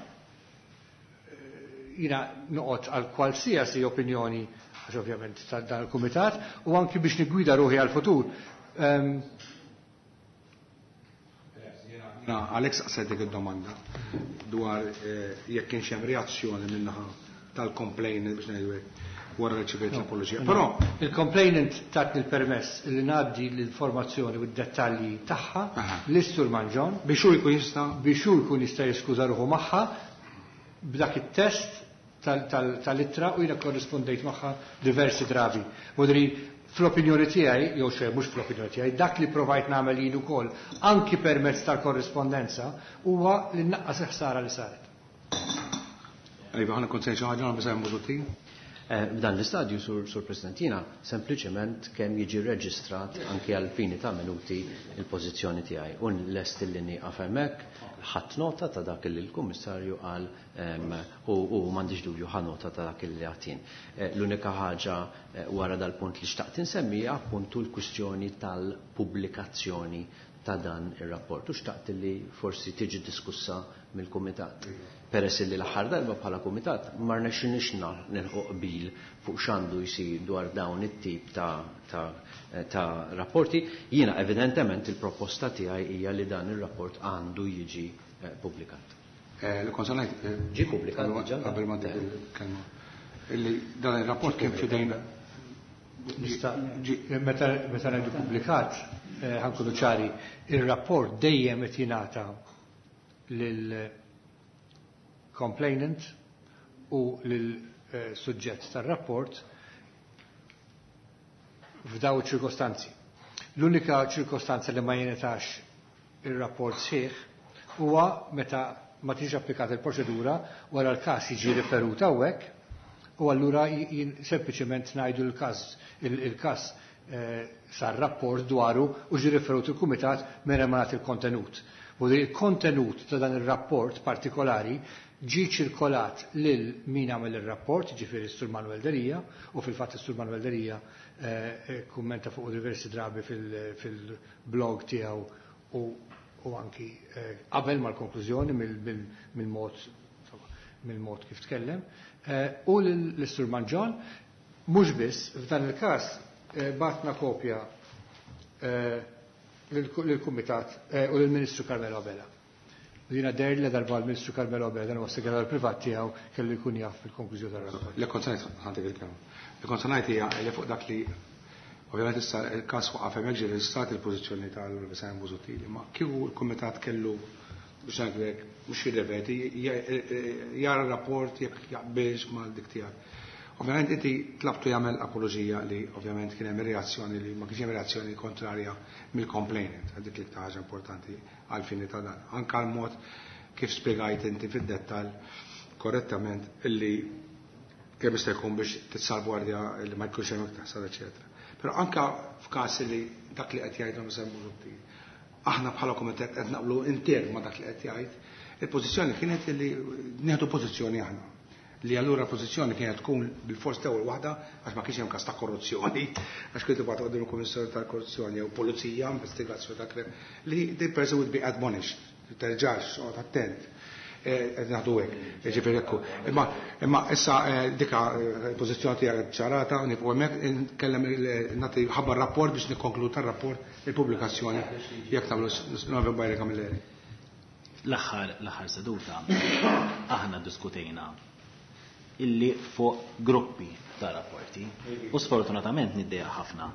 D: jiena noqgħod għal qualsiasi opinjoni, għax ovvjament ta' dan il-kumitat, u anki biex niggwida ruħi għal-futur.
A: Na, Alex saqsejt dik id-domanda dwar jekk kienx hemm reazzjoni min-naħa tal-complainant biex ngħidu hekk wara li ċivejt l-apoloġija. Però
D: il-complainant tatni l-permess li ngħaddi l-informazzjoni u d-dettalji tagħha lis-Sur Mangion
A: biex hu jkun jista'
D: biex hu jkun jista' jiskuża ruħu magħha b'dak it-test tal-ittra u jiena korrispondejt magħha diversi drabi. Vodri fl-opinjoni tiegħi, jew xejn mhux fl-opinjoni tiegħi, dak li provajt nagħmel jien ukoll anki permezz tal-korrispondenza huwa li nnaqqas il-ħsara li saret.
A: Iva, ħana kont xi ħaġa nagħmel hemm Busuttil.
C: F'dan l-istadju, Sur President, jiena sempliċement kemm jiġi reġistrat anki għal fini ta' minuti il-pożizzjoni tiegħi. U lest li nieqaf hemmhekk, ħadd nota ta' dak li l-Kummissarju qal u m'għandix dubju ħa nota ta' dak li għatin. L-unika ħaġa wara dal-punt li xtaqt insemmi hija appuntu l-kwistjoni tal-pubblikazzjoni ta' dan ir-rapport. U xtaqt li forsi tiġi diskussa mill-Kumitat. Peress li l-aħħar darba bħala Kumitat ma rnexxinix nilħu qbil fuq x'għandu jsir dwar dawn it-tip ta' rapporti, jiena evidentement il-proposta tiegħi hija li dan ir-rapport għandu jiġi pubblikat.
A: Li kont se ngħid
C: Ġie pubblikat diġà?
A: Qabel ma dik il-kelma. Illi dan ir-rapport kien f'idejn
D: Nista' meta meta ngħidu pubblikat, ħa nkunu ċari, ir-rapport dejjem qed jingħata lil complainant u lil suġġett tar-rapport f'daw ċirkostanzi. L-unika ċirkostanza li ma jingħatax ir-rapport sħiħ huwa meta ma tiġi applikata il-proċedura wara l-każ jiġi riferut hawnhekk u allura sempliċement ngħidu l-każ il-każ sar rapport dwaru u ġi riferut il-kumitat meta ma nagħti il-kontenut. U il-kontenut ta' dan ir-rapport partikolari ġi ċirkolat lil min għamel ir-rapport, ġifieri s-Sur Manuel Delia, u fil-fatt is-Sur Manuel Delia kummenta fuq diversi drabi fil-blog tiegħu u anki qabel mal-konklużjoni mill-mod kif tkellem. U l-Sur Mangion, mhux biss, f'dan il-każ bagħatna kopja lill-Kumitat u lill-Ministru Carmelo Abela. Dina der li darba l-Ministru Carmelo Abela dan huwa segretarju privat tiegħu kellu jkun jaf fil-konklużjoni tar-rapport.
A: Li kont ngħid ħantik il-kelma. Li kont ngħid hija li fuq dak li ovvjament issa il-każ waqaf hemmhekk ġie reġistrat il-pożizzjoni tal-Simon Busuttil, imma kieku l-Kumitat kellu biex ngħidlek mhux jirrepeti, jara r-rapport jekk jaqbilx ma' dik tiegħek. Ovvjament inti tlabtu jagħmel apoloġija li ovvjament kien hemm reazzjoni li ma kienx hemm reazzjoni kontrarja mill-complainant, dik li ħaġa importanti għal fini ta' dan. Anka l-mod kif spjegajt inti fid-dettall korrettament illi kemm jista' jkun biex titsalvwardja li ma jkunx hemm iktar ħsara, eċetera. Però anka f'każ li dak li qed jgħidhom Simon Busuttil, aħna bħala kumitat qed naqblu intern ma' dak li qed jgħid, il-pożizzjoni kienet li nieħdu pożizzjoni aħna. Li allura pożizzjoni kienet tkun bil-fors l-ewwel waħda għax ma kienx hemm każ ta' korruzzjoni, għax kien tibgħat quddiem il-Kummissjoni tal-Korruzzjoni jew Pulizija, investigazzjoni ta' krem, li the person would be admonished, terġax, oqgħod attent. Qed naħdu hekk, ġifieri hekk. Imma issa dika pożizzjoni tiegħek ċarata, nifqu hemmhekk, nkellem nagħti ħabbar rapport biex nikkonkludu tar-rapport il-pubblikazzjoni jekk tagħmlu Onorevole Byron Camilleri.
B: L-aħħar seduta aħna diskutejna illi fuq gruppi ta' rapporti u sfortunatament niddejjaq ħafna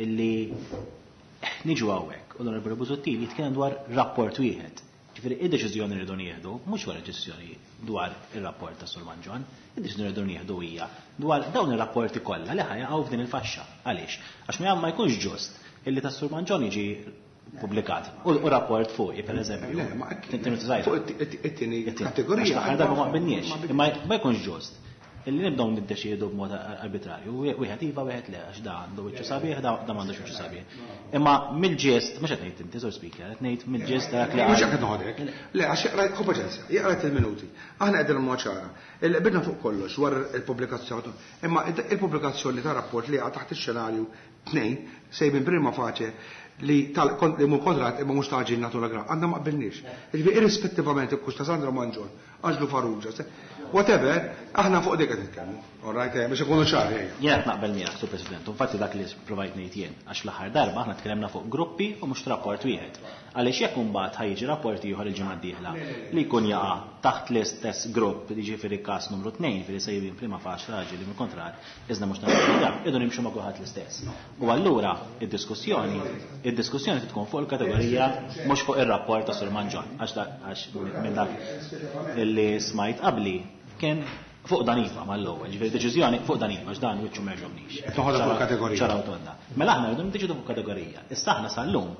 B: illi niġu hawnhekk u l-Onorevoli Busuttil jitkellem dwar rapport wieħed. Ġifieri id-deċiżjoni li rridu nieħdu mhux wara deċiżjoni dwar ir-rapport ta' Sur Mangion, id-deċiżjoni li rridu nieħdu hija dwar dawn ir-rapporti kollha li ħajaqgħu f'din il-faxxa. Għaliex? Għax ma jkunx ġust illi ta' Sur Mangion jiġi pubblikat u rapport fuqi, per eżempju.
A: Le, ma
B: Tinti żgħira.
A: fuq it-tieni kategorija.
B: Għax l-aħħar darba ma qbilniex, imma ma jkunx ġust illi nibdew niddeċiedu b'mod arbitrarju, wieħed iva, wieħed le, għax da għandu wiċċu sabiħ, da m'għandux wiċċu sabiħ. Imma mill-ġest, mhux qed ngħid inti, Sur Speaker, qed ngħid mill-ġest dak li
A: Mhux
B: qal.
A: qed noħodek. Le, għax jaqra ħu paċenzja, jaqra il-minuti. Aħna qegħdin mod ċara. Il-qbilna fuq kollox wara il-pubblikazzjoni. Imma il-pubblikazzjoni ta' rapport li taħt ix-xenarju 2 sejbin prima facie li tal li mhu kontrat imma mhux taġi natura gra. Għandna ma qbilniex. Jiġifieri irrispettivament jekk hux ta' Sandro Mangion, Anġlu Farrugia, whatever, aħna fuq dik qed nitkellmu. All right, biex ikunu ċari, ejja.
B: Jien qed naqbel miegħek, Sur President, infatti dak li provajt ngħid jien, għax l-aħħar darba aħna tkellimna fuq gruppi u mhux rapport wieħed. Għaliex jekk imbagħad ħajġi rapport ieħor il-ġimgħa d-dieħla li jkun jaqa' taħt l-istess grupp, jiġifieri każ numru 2, jiġifieri sejbin prima faċ raġel li minn kontrat, iżda mhux nagħmlu idu nimxu ma' kulħadd l-istess. U allura id-diskussjoni tkun fuq il-kategorija mhux fuq ir-rapport ta' Sur Mangion, għax minn dak illi smajt qabli kien fuq dan iva mal-ewwel, ġifieri deċiżjoni fuq dan iva, għax dan wiċċu ma jogħġobnix.
A: Toħodha fuq kategorija.
B: Ċaraw tonda. Mela aħna rridu niddeċidu fuq kategorija. Issa aħna sal-lum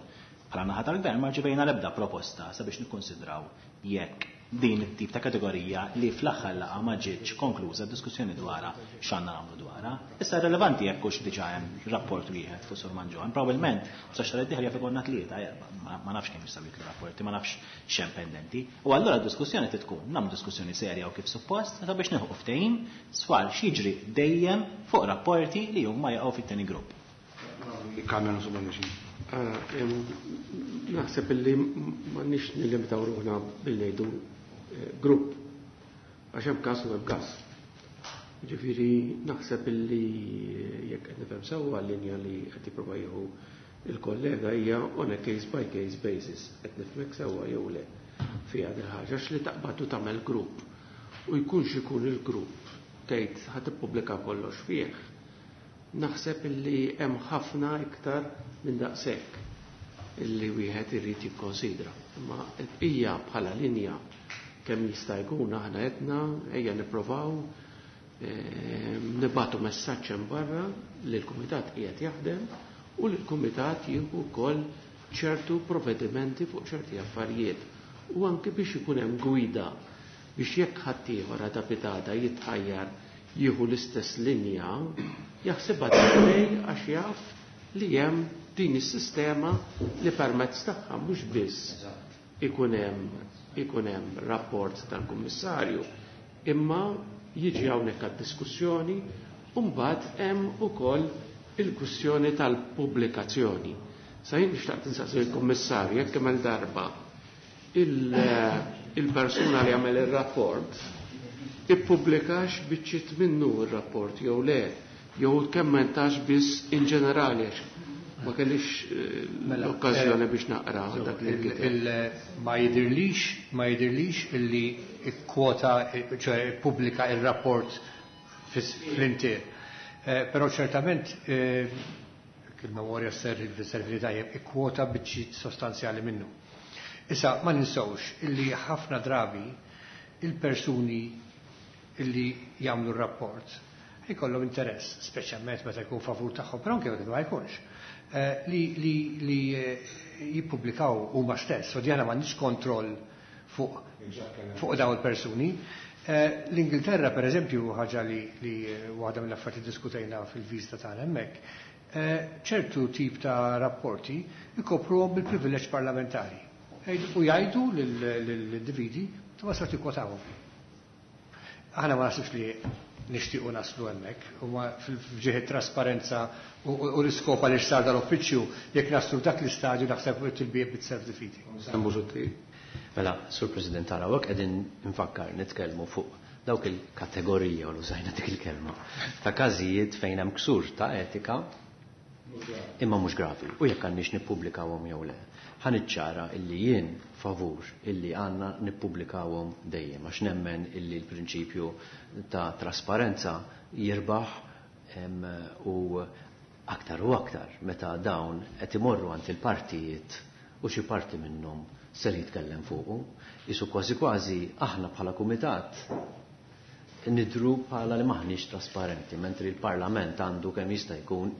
B: bħala naħa tal-gvern ma rċevejna l-ebda proposta sabiex nikkonsidraw jekk din it-tip ta' kategorija li fl-aħħar laqgħa ma ġietx konkluża d-diskussjoni dwarha x'għandna nagħmlu dwarha. Issa relevanti jekk hux diġà hemm rapport wieħed fuq Sur Mangion. Probabbilment sa xahar id-dieħel jaf ikollna tlieta, erba', ma nafx kemm jistgħu jitlu rapporti, ma nafx x'hemm pendenti. U allura d-diskussjoni trid tkun nagħmlu diskussjoni serja u kif suppost sabiex nilħqu ftehim swar x'jiġri dejjem fuq rapporti li huma jaqgħu fit-tieni grupp.
A: Kamera insomma mixin.
E: Naħseb illi m'għandniex nillimitaw ruħna billi ngħidu grupp, għax hemm każ u hemm każ. Ġifieri naħseb illi jekk qed nifhem sewwa l-linja li qed jipprova jieħu il-kollega hija on a case by case basis, qed nifhmek sewwa jew le. fiha dil ħaġa għax li taqbad u tagħmel grupp u jkunx ikun il-grupp tgħid ħa tippubblika kollox fih. Naħseb illi hemm ħafna iktar minn daqshekk illi wieħed irid jikkonsidra. Imma l-bqija bħala linja kemm jista' jkun aħna qedna ejja nipprovaw nibatu messaġġ hemm barra li l-kumitat qiegħed jaħdem u li l-kumitat jieħu wkoll ċertu provvedimenti fuq ċerti affarijiet u anke biex ikun hemm gwida biex jekk ħaddieħor għada pitada jitħajjar jieħu l-istess linja jaħsibha darbtejn għax jaf li hemm din is-sistema li permezz tagħha mhux biss ikun hemm ikun hemm rapport tal-Kummissarju imma jiġi hawnhekk għad-diskussjoni u mbagħad hemm ukoll il-kwistjoni tal-pubblikazzjoni. Sa jien nixtaqt insaqsi il-Kummissarju jekk kemm darba il-persuna li għamel ir-rapport ippubblikax biċċiet minnu r-rapport jew le, jew kemmentax biss in ġenerali għax ma kellix l-okkażjoni biex naqra dak li nkiteb.
D: Ma jidirlix, ma jidirlix illi kwota, ċoè ippubblika il-rapport fl-intier. Però ċertament il-memorja servi li tajjeb, ikkwota biċċiet sostanzjali minnu. Issa ma ninsewx illi ħafna drabi il-persuni illi jagħmlu r-rapport jkollhom interess, speċjalment meta jkun favur tagħhom, però anke meta ma jkunx, li jippubblikaw huma stess, u djana m'għandniex kontroll fuq dawn il-persuni. L-Ingilterra, per eżempju, ħaġa li waħda mill-affarijiet diskutejna fil-viżita tagħna hemmhekk, ċertu tip ta' rapporti ikopruhom bil-privileġġ parlamentari. U jgħidu lill-individi ma sa tikkwotawhom. Aħna ma naħsibx li nixtiequ naslu hemmhekk, huma fil-ġieħ trasparenza u l-iskop għaliex sar dal-uffiċċju, jekk naslu f'dak l-istadju naħseb it will be a bit self-defeating.
C: Mela, Sur President, tara, hawnhekk qegħdin nfakkar nitkellmu fuq dawk il-kategorija, u użajna dik il-kelma, ta' każijiet fejn hemm ksur ta' etika imma mhux gravi, u jekk għandniex nippubblikawhom jew le. Ħa niċċara illi jien favur illi għandna nippubblikawhom dejjem, għax nemmen illi l-prinċipju ta' trasparenza jirbaħ u aktar u aktar meta dawn qed imorru għand il-partijiet u xi parti minnhom ser jitkellem fuqu. Isu kważi kważi aħna bħala kumitat nidru bħala li maħniex trasparenti, mentri l-Parlament għandu kemm jista' jkun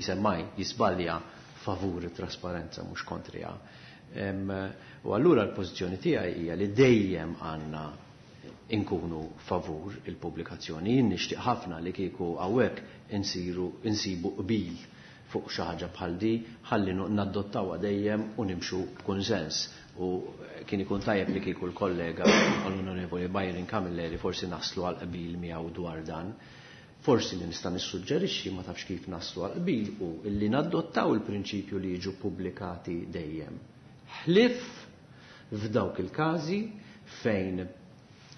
C: semmaj jisbalja favur it-trasparenza mhux kontriha. U allura l-pożizzjoni tiegħi hija li dejjem għandna inkunu favur il-pubblikazzjoni. Jien nixtieq ħafna li kieku hawnhekk insibu qbil fuq xi ħaġa bħal di, ħalli nadottawha dejjem u nimxu b'kunsens. U kien ikun tajjeb li kieku l-kollega l-Onorevoli Byron Camilleri forsi naslu għal qbil miegħu dwar dan. Forsi li nista' nissuġġerixxi ma tafx kif naslu għal qbil u illi nadottaw il-prinċipju li jiġu pubblikati dejjem. Ħlif f'dawk il-każi fejn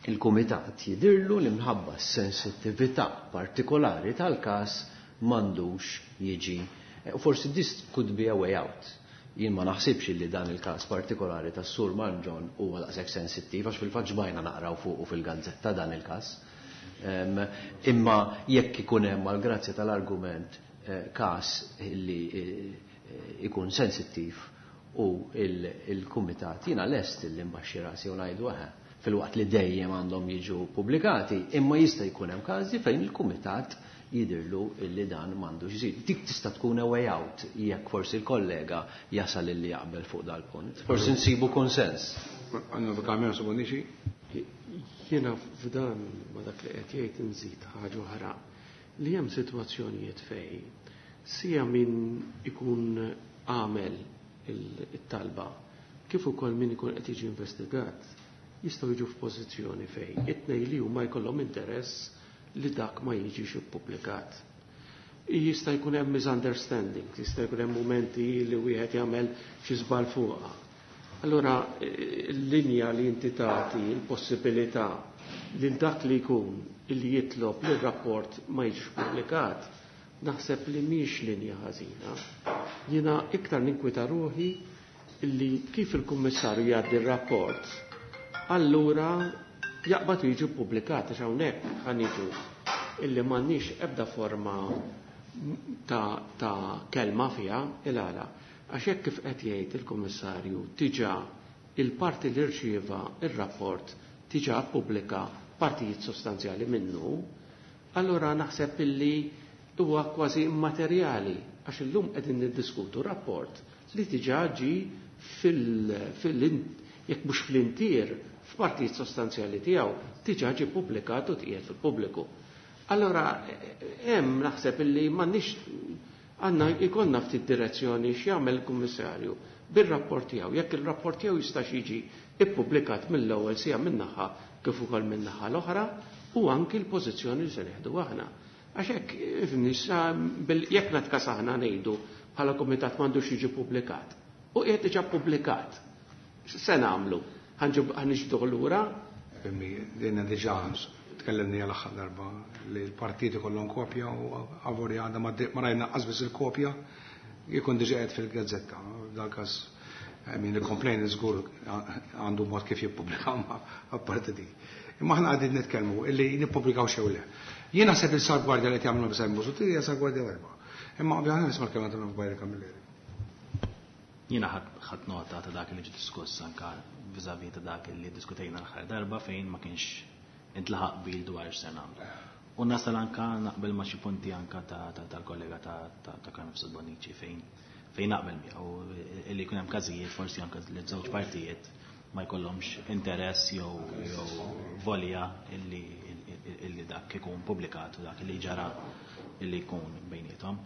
C: il-kumitat jidirlu li minħabba s-sensittività partikolari tal-każ m'għandux jiġi. U forsi this could be a way out. Jien ma naħsibx li dan il-każ partikolari tas-Sur Mangion huwa daqshekk sensittiv għax fil-fatt ġbajna naqraw fuqu fil-gazzetta dan il-każ. Imma jekk ikun hemm għall-grazzja tal-argument każ li ikun sensittiv u il-kumitat jiena lest li mbaxxi rasi u ngħidu eħe fil-waqt li dejjem għandhom jiġu pubblikati, imma jista' jkun hemm każi fejn il-kumitat jidirlu illi dan m'għandux isir. Dik tista' tkun a way out jekk forsi l-kollega jasal illi jaqbel fuq dal-punt. Forsi nsibu konsens.
A: Għannu kamera su bonixi?
E: Jiena f'dan ma dak li qed jgħid inżid ħaġa oħra li hemm sitwazzjonijiet fejn sija min ikun għamel it-talba kif ukoll min ikun qed jiġi investigat jistgħu jiġu f'pożizzjoni fejn it-tnejn li huma jkollhom interess li dak ma jiġix ippubblikat. Jista' jkun hemm misunderstanding, jista' jkun hemm mumenti li wieħed jagħmel xi żball fuqha. Allura l-linja li inti tagħti l-possibilità lil dak li jkun li jitlob li r-rapport ma jiġix pubblikat, naħseb li mhix linja ħażina. Jiena iktar ninkwita ruħi li kif il-kummissarju jgħaddi r-rapport allura jaqbad u jiġi ppubblikat għax hawnhekk ħa niġu illi m'għandniex ebda forma ta', ta kelma fiha il-għala. Għax hekk kif qed jgħid il-Kummissarju diġà il-parti li rċieva ir-rapport diġà ppubblika partijiet sostanzjali minnu, allura naħseb illi huwa kważi immaterjali għax illum qegħdin niddiskutu rapport li diġà ġi fil, fil jekk mhux fl-intier f'partijiet sostanzjali tiegħu diġà ġie ppubblikat u tqiegħed fil-pubbliku. Allora hemm naħseb illi m'għandniex għandna jkollna ftit direzzjoni x'jagħmel il-Kummissarju bir-rapport tiegħu. Jekk il-rapport tiegħu jistax jiġi ippubblikat mill-ewwel sija min-naħa kif ukoll min-naħa l-oħra u anki l-pożizzjoni li se nieħdu aħna. Għax hekk, ifhimni, sa jekk natkas aħna ngħidu bħala kumitat m'għandux jiġi ppubblikat. U qiegħed diġà ppubblikat. X'se nagħmlu? Ħa niġbduh lura?
A: Ifhimni, dinna diġà tkellimni għal aħħar darba li l-partiti kollhom kopja u avolja għadha ma rajna qas biss il-kopja jkun diġà qiegħed fil-gazzetta. F'dal każ min il-complaint żgur għandu mod kif jippubblika ma apparti dik. Imma aħna qegħdin nitkellmu illi nippubblikaw xew le. Jien naħseb il-salvgwardja li qed jagħmlu Simon Busuttil hija salvgwardja tajba. Imma ovvjament nisma' l-kelma ta' Byron Camilleri.
B: Jiena ħadt nota ta' dak li ġie diskuss anka vis-à-vis ta' dak li diskutejna l-aħħar darba fejn ma kienx intlaħaq qbil dwar x'se nagħmlu. U nasal anka naqbel ma' xi punti anka tal-kollega ta' Carm Mifsud Bonnici fejn fejn naqbel miegħu illi jkun hemm każijiet forsi anka li żewġ partijiet ma jkollhomx interess jew jew volja illi illi dak ikun publikat u dak li ġara illi jkun bejniethom.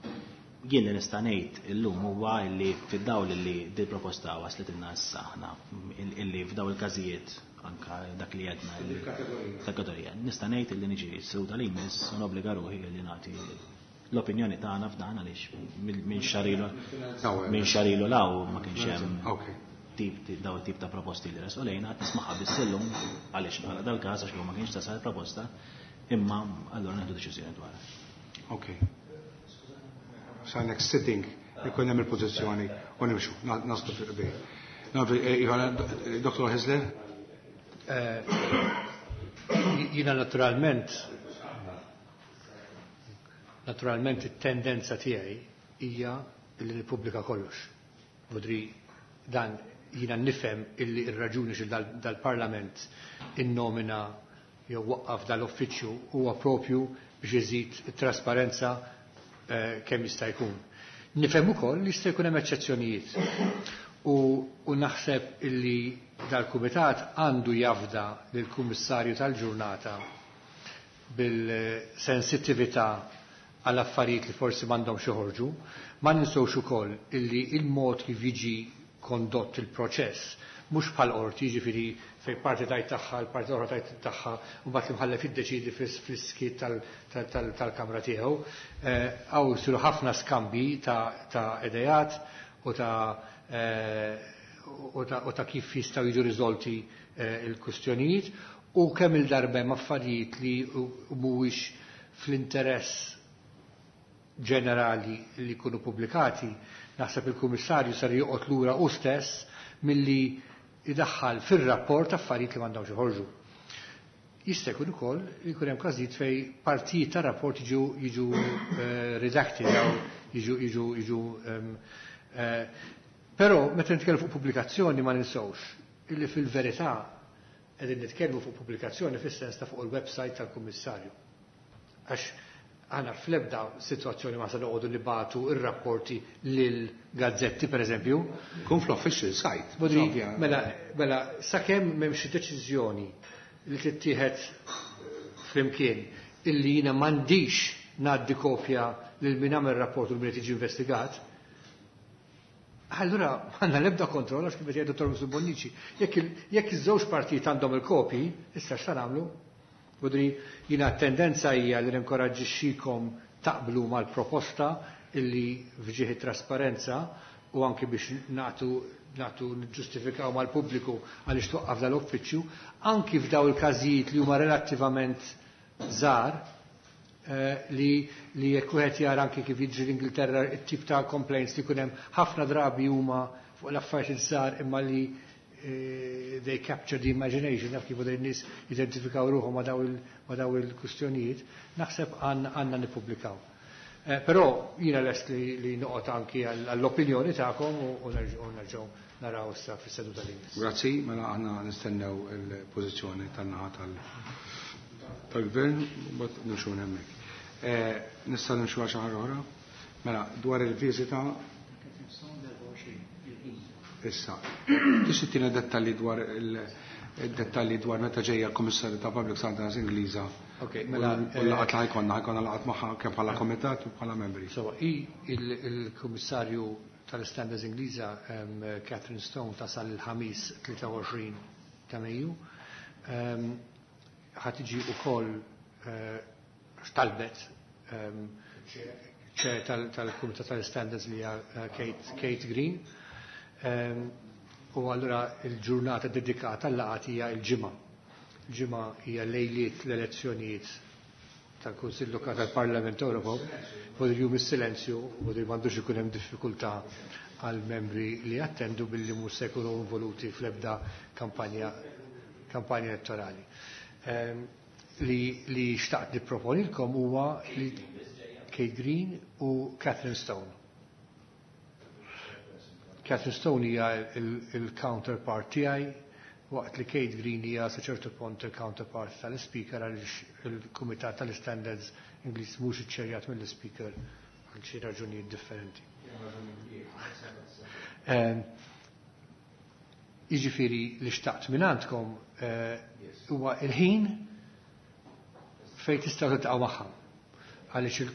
B: Jien li nista' ngħid illum huwa illi fid-dawl illi dil proposta waslet ilna issa aħna illi f'daw il-każijiet anka dak li għedna kategorija. Nista' ngħid illi niġi s-seduta li jmiss u nobbliga ruħi li nagħti l-opinjoni tagħna f'dan għaliex minn xahar ilu minn xahar ilu 'l hawn ma kienx hemm tip daw tip ta' proposti li resqu lejna qed nismaħħa biss illum għaliex bħala dal-każ għax ma kienx tasal proposta imma allura nieħdu deċiżjoni dwar.
A: Ok. Sa next sitting ikun hemm il-pożizzjoni u nimxu, naslu fil-qbil. Dr. Hyzler?
D: Jiena naturalment it-tendenza tiegħi hija li nippubblika kollox. Vodri dan jiena nifhem illi ir-raġuni xi dal-Parlament innomina jew waqqaf dal-uffiċċju huwa propju biex iżid it-trasparenza kemm jista' jkun. Nifhem ukoll li jista' jkun hemm eċċezzjonijiet. U, u naħseb illi dal-kumitat għandu jafda lill-kummissarju tal-ġurnata bil-sensittività għal affarijiet li forsi m'għandhomx joħorġu. Ma ninsewx ukoll illi il-mod kif jiġi kondott il-proċess mhux bħal qorti, jiġifieri fejn parti tgħid tagħha, l-parti oħra tgħid tagħha, u mbagħad l-imħallef jiddeċidi fis-skiet tal-kamra tiegħu. Hawn isiru ħafna skambi ta' idejat u ta' kif jistgħu jiġu riżolti il-kustjonijiet u kemm il-darba hemm affarijiet li mhuwiex fl-interess ġenerali li jkunu pubblikati, naħseb il-Kummissarju sar joqgħod lura u stess milli idaħħal fir-rapport affarijiet li m'għandhomx joħorġu. Jista' jkun ukoll li jkun hemm każijiet fejn partijiet tar-rapport jiġu redacted jew jiġu. Però meta nitkellmu fuq pubblikazzjoni ma ninsewx illi fil-verità qegħdin nitkellmu fuq pubblikazzjoni fis-sens ta' fuq il-website tal-Kummissarju. Għax aħna fl-ebda situazzjoni ma se noqogħdu nibagħtu ir-rapporti lil gazzetti per eżempju.
A: Kun fl-official site.
D: Bodri, mela, sakemm m'hemmx deċiżjoni li tittieħed flimkien illi jiena m'għandix ngħaddi kopja lil min għamel rapport u min qed jiġi investigat, allura għandna l-ebda kontroll għax kif qed jgħid Dottor Mifsud Bonnici. Jekk iż-żewġ partijiet għandhom il-kopji, issa x'ta nagħmlu? Budri, jiena tendenza hija li ninkoraġġixxikom taqblu mal-proposta illi f'ġieħi trasparenza u anki biex nagħtu niġġustifikaw mal-pubbliku għaliex twaqqaf dal-uffiċċju, anki f'daw il-każijiet li huma relattivament żgħar, li jekk wieħed jara anki kif jiġri l-Ingilterra it-tip ta' complaints li jkun hemm ħafna drabi huma fuq l-affarijiet żgħar imma li they capture the imagination, naf kif n-nies jidentifikaw ruħhom ma' daw il-kustjonijiet, naħseb għandna nippubblikaw. Però jiena lest li noqgħod anki għall-opinjoni tagħkom u nerġgħu naraw issa fis-seduta li jmiss.
A: Grazzi, mela aħna nistennew il-pożizzjoni tan-naħa tal-gvern u mbagħad nimxu hemmhekk. Nista' nimxu għal xi ħaġa oħra? Mela, dwar il-viżita issa. Tista' tina dettalji dwar il-dettalji dwar meta ġejja l-Kummissarju ta' Public Standards Ingliża.
D: Ok, mela,
A: U l-laqgħat li ħajkonna laqgħat magħha kemm bħala komitat u bħala membri.
D: So, il-Kummissarju tal-Standards Ingliża Catherine Stone tasal il-ħamis 23 ta' Mejju. Ħa tiġi wkoll x'talbet chair tal-Kumitat tal-Standards li hija Kate Green. U allura il-ġurnata dedikata għal-laqgħat hija l-ġimgħa. Il-ġimgħa hija lejliet l-elezzjonijiet tal-Kunsill Lokali tal-Parlament Ewropew, vodir jum is-silenzju, vodir m'għandux ikun hemm diffikultà għal membri li jattendu billi mhux se jkunu involuti fl-ebda kampanja elettorali. Li xtaqt nipproponilkom huwa li Kate Green u Catherine Stone. Catherine Stone hija il-counterpart tiegħi, waqt li Kate Green hija sa ċertu punt il-counterpart tal-Speaker għaliex il-Kumitat tal-Standards Ingliż mhux iċċerjat mill-Speaker għal xi raġunijiet differenti. Jiġifieri li xtaqt minn għandkom huwa il-ħin fejn tistgħu tiltaqgħu magħha. Għaliex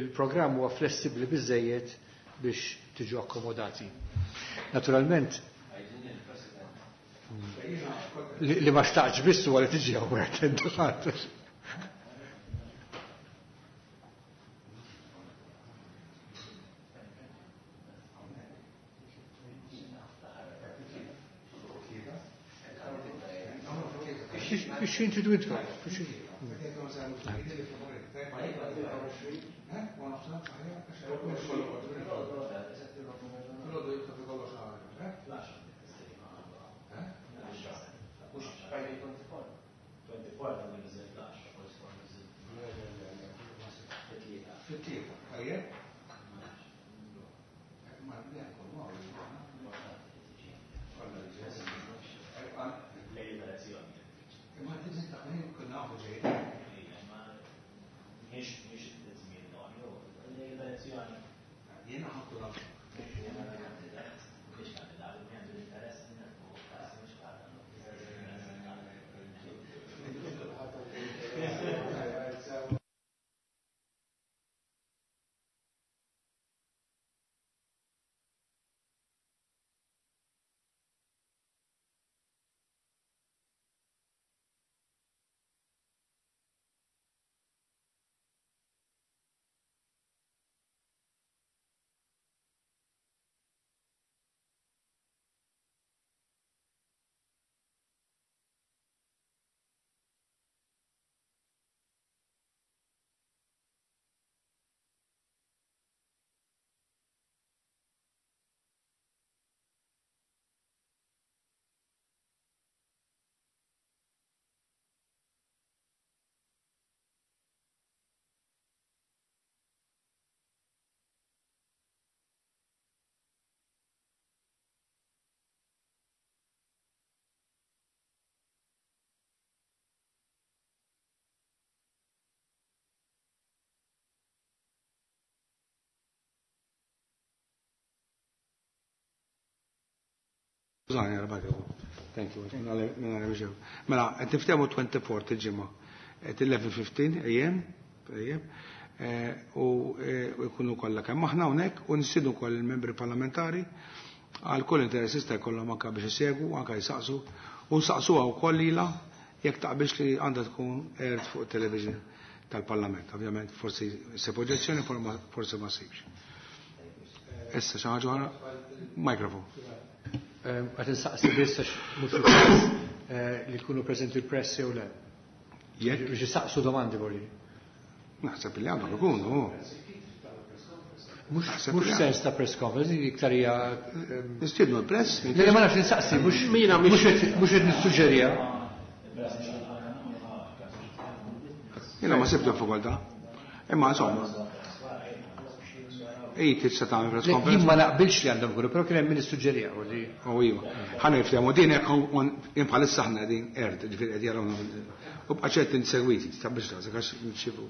D: il-programm huwa flessibbli biżejjed biex tiġu akkomodati. Naturalment, li ma xtaqx biss huwa li tiġi hawnhekk ħadd. X'in tridu intkom?
A: Thank you. Mela, qed niftehmu 24 il-ġimgħa. Qed 11:15 AM, u jkunu kollha kemm aħna hawnhekk u nistiednu wkoll il-membri parlamentari għal kull interess jista' jkollhom anke biex isegwu, anke jsaqsu, u nsaqsuha wkoll lilha jekk taqbilx li għandha tkun aired fuq television tal-Parlament. Ovvjament forsi ssib oġġezzjoni, forsi ma ssibx. Issa xi ħaġa oħra? Mikrofon.
D: Għad insaqsi biss għax mhux il-każ li jkunu preżenti l-press jew le.
A: Jekk?
D: Biex jistaqsu domandi vorri.
A: Naħseb li għandhom ikunu.
D: Mhux sens ta' press conference, iktar hija
A: Nistiednu l-press.
D: Le ma nafx insaqsi, mhux qed nissuġġerija.
A: Jiena ma sibtu fakultà. Imma insomma. Ej, tista' tagħmel press conference.
D: Jien ma naqbilx li għandhom ikunu, però kien hemm min issuġġerija u li.
A: U iva. Ħa niftehmu din hekk bħalissa aħna qegħdin erd, ġifieri qed jarawna. U bqa' ċert insegwiti, taqbilx rasek għax nixxifu.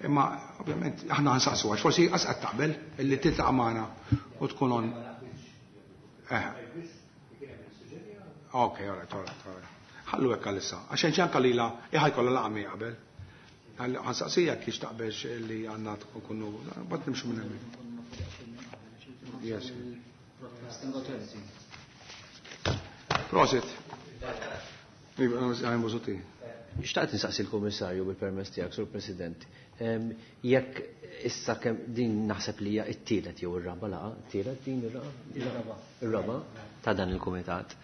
A: Imma ovvjament aħna ħansaqsu għax forsi qas qed taqbel illi tiltaqa' magħna u tkun on. Eh. Ok, all right, all right, all right. Ħallu hekk għalissa. Għax hemm anke lilha ħajkollha laqgħa miegħi qabel. Ħansaqsija kiex taqbelx li għandna nkunu bad nimxu minn hemmhekk. Yes. Prosit. Iva, Busuti.
C: Xtaqt nistaqsi l-Kummissarju bil-permess tiegħek, Sur President. Jekk issa kemm din naħseb li hija t-tielet jew ir-raba' laqgħa, t-tielet din ir-raba' ir-raba' ta' dan il-kumitat.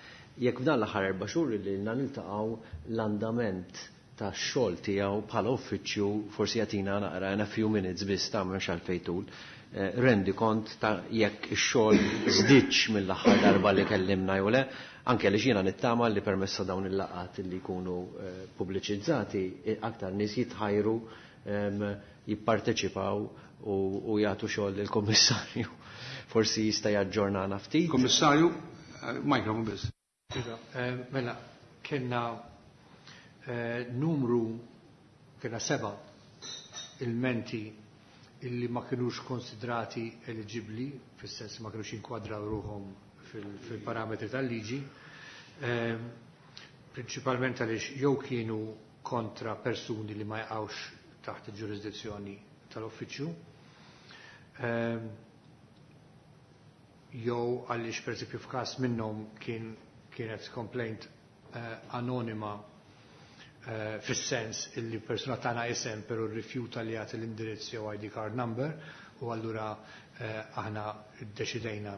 C: Jekk f'dan l-aħħar 4 xhur li lna niltaqgħu l-andament tax-xogħol tiegħu bħala uffiċċju forsi jagħtina naqra in a few minutes biss ta' mhux għalfejn tul. Rendi kont ta' jekk ix-xogħol żdiedx mill-aħħar darba li kellimna jew le, anke għaliex jiena nittama li permezz ta' dawn il-laqgħat li jkunu pubbliċizzati aktar nies jitħajru jipparteċipaw u jagħtu xogħol lill-Kummissarju. Forsi jista' jaġġornana ftit.
A: Kummissarju, mikrofon biss.
D: Iva, mela, kellna numru, kellna 7 ilmenti illi ma kienux konsidrati eligibli, fis-sens ma kienux jinkwadraw ruħhom fil-parametri tal-liġi, prinċipalment għaliex jew kienu kontra persuni li ma jaqgħux taħt il-ġurisdizzjoni tal-uffiċċju, jew għaliex pereżempju f'każ minnhom kienet complaint anonima fis-sens illi persuna tagħna isem però rrifjuta li jagħti l-indirizz jew ID card number, u allura aħna ddeċidejna,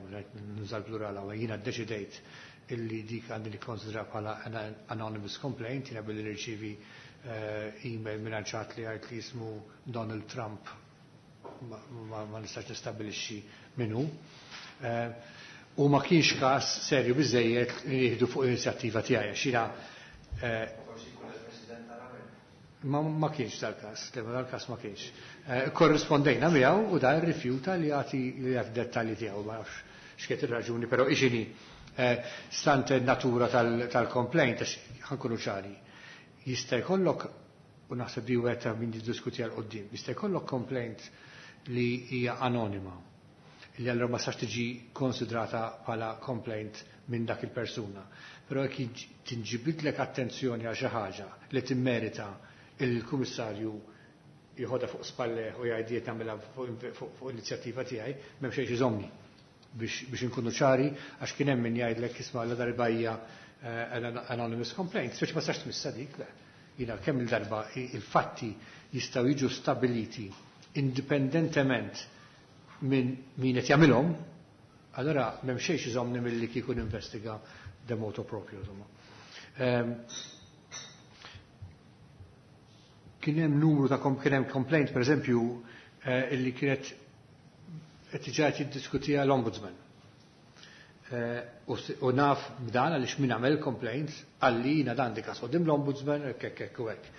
D: nuża l-plural hawn, jiena ddeċidejt illi dik għandi nikkonsidra bħala anonymous complaint, jiena billi nirċievi email minn ċat li għajt li jismu Donald Trump ma nistax nistabilixxi minnu. U ma kienx każ serju biżejjed li jieħdu fuq l-inizjattiva tiegħi għax jiena ma kienx dal-każ, dal-każ ma kienx. Korrispondejna miegħu u da rrifjuta li jagħti dettalji tiegħu, ma nafx x'kienet ir-raġuni, però ixini stante natura tal-complaint, għax ħankunu ċari. Jista' jkollok, u naħseb li wieħed ta' min jiddiskuti għal quddiem, jista' jkollok complaint li hija anonima, li allura ma sax tiġi konsidrata bħala complaint minn dak il-persuna. Però jekk tinġibidlek attenzjoni għal xi ħaġa li timmerita il-kummissarju jħodha fuq spalleh u jgħid qed nagħmilha fuq inizjattiva tiegħi, m'hemm xejn iżomni biex inkunu ċari, għax kien hemm min jgħidlek isma' la darba hija anonymous complaint, speċi ma sax tmissa dik, le. Jiena kemm il-darba il-fatti jistgħu jiġu stabiliti indipendentement minn min qed jagħmilhom, allora m'hemm xejn iżomni milli kieku ninvestiga de moto proprio, insomma. Kien hemm numru ta' kien hemm complaint, per eżempju, illi kienet qed diġà qed jiddiskutiha l-Ombudsman. U naf b'dan għaliex min għamel complaints għalli jiena dan dik quddiem l-Ombudsman hekk hekk u hekk.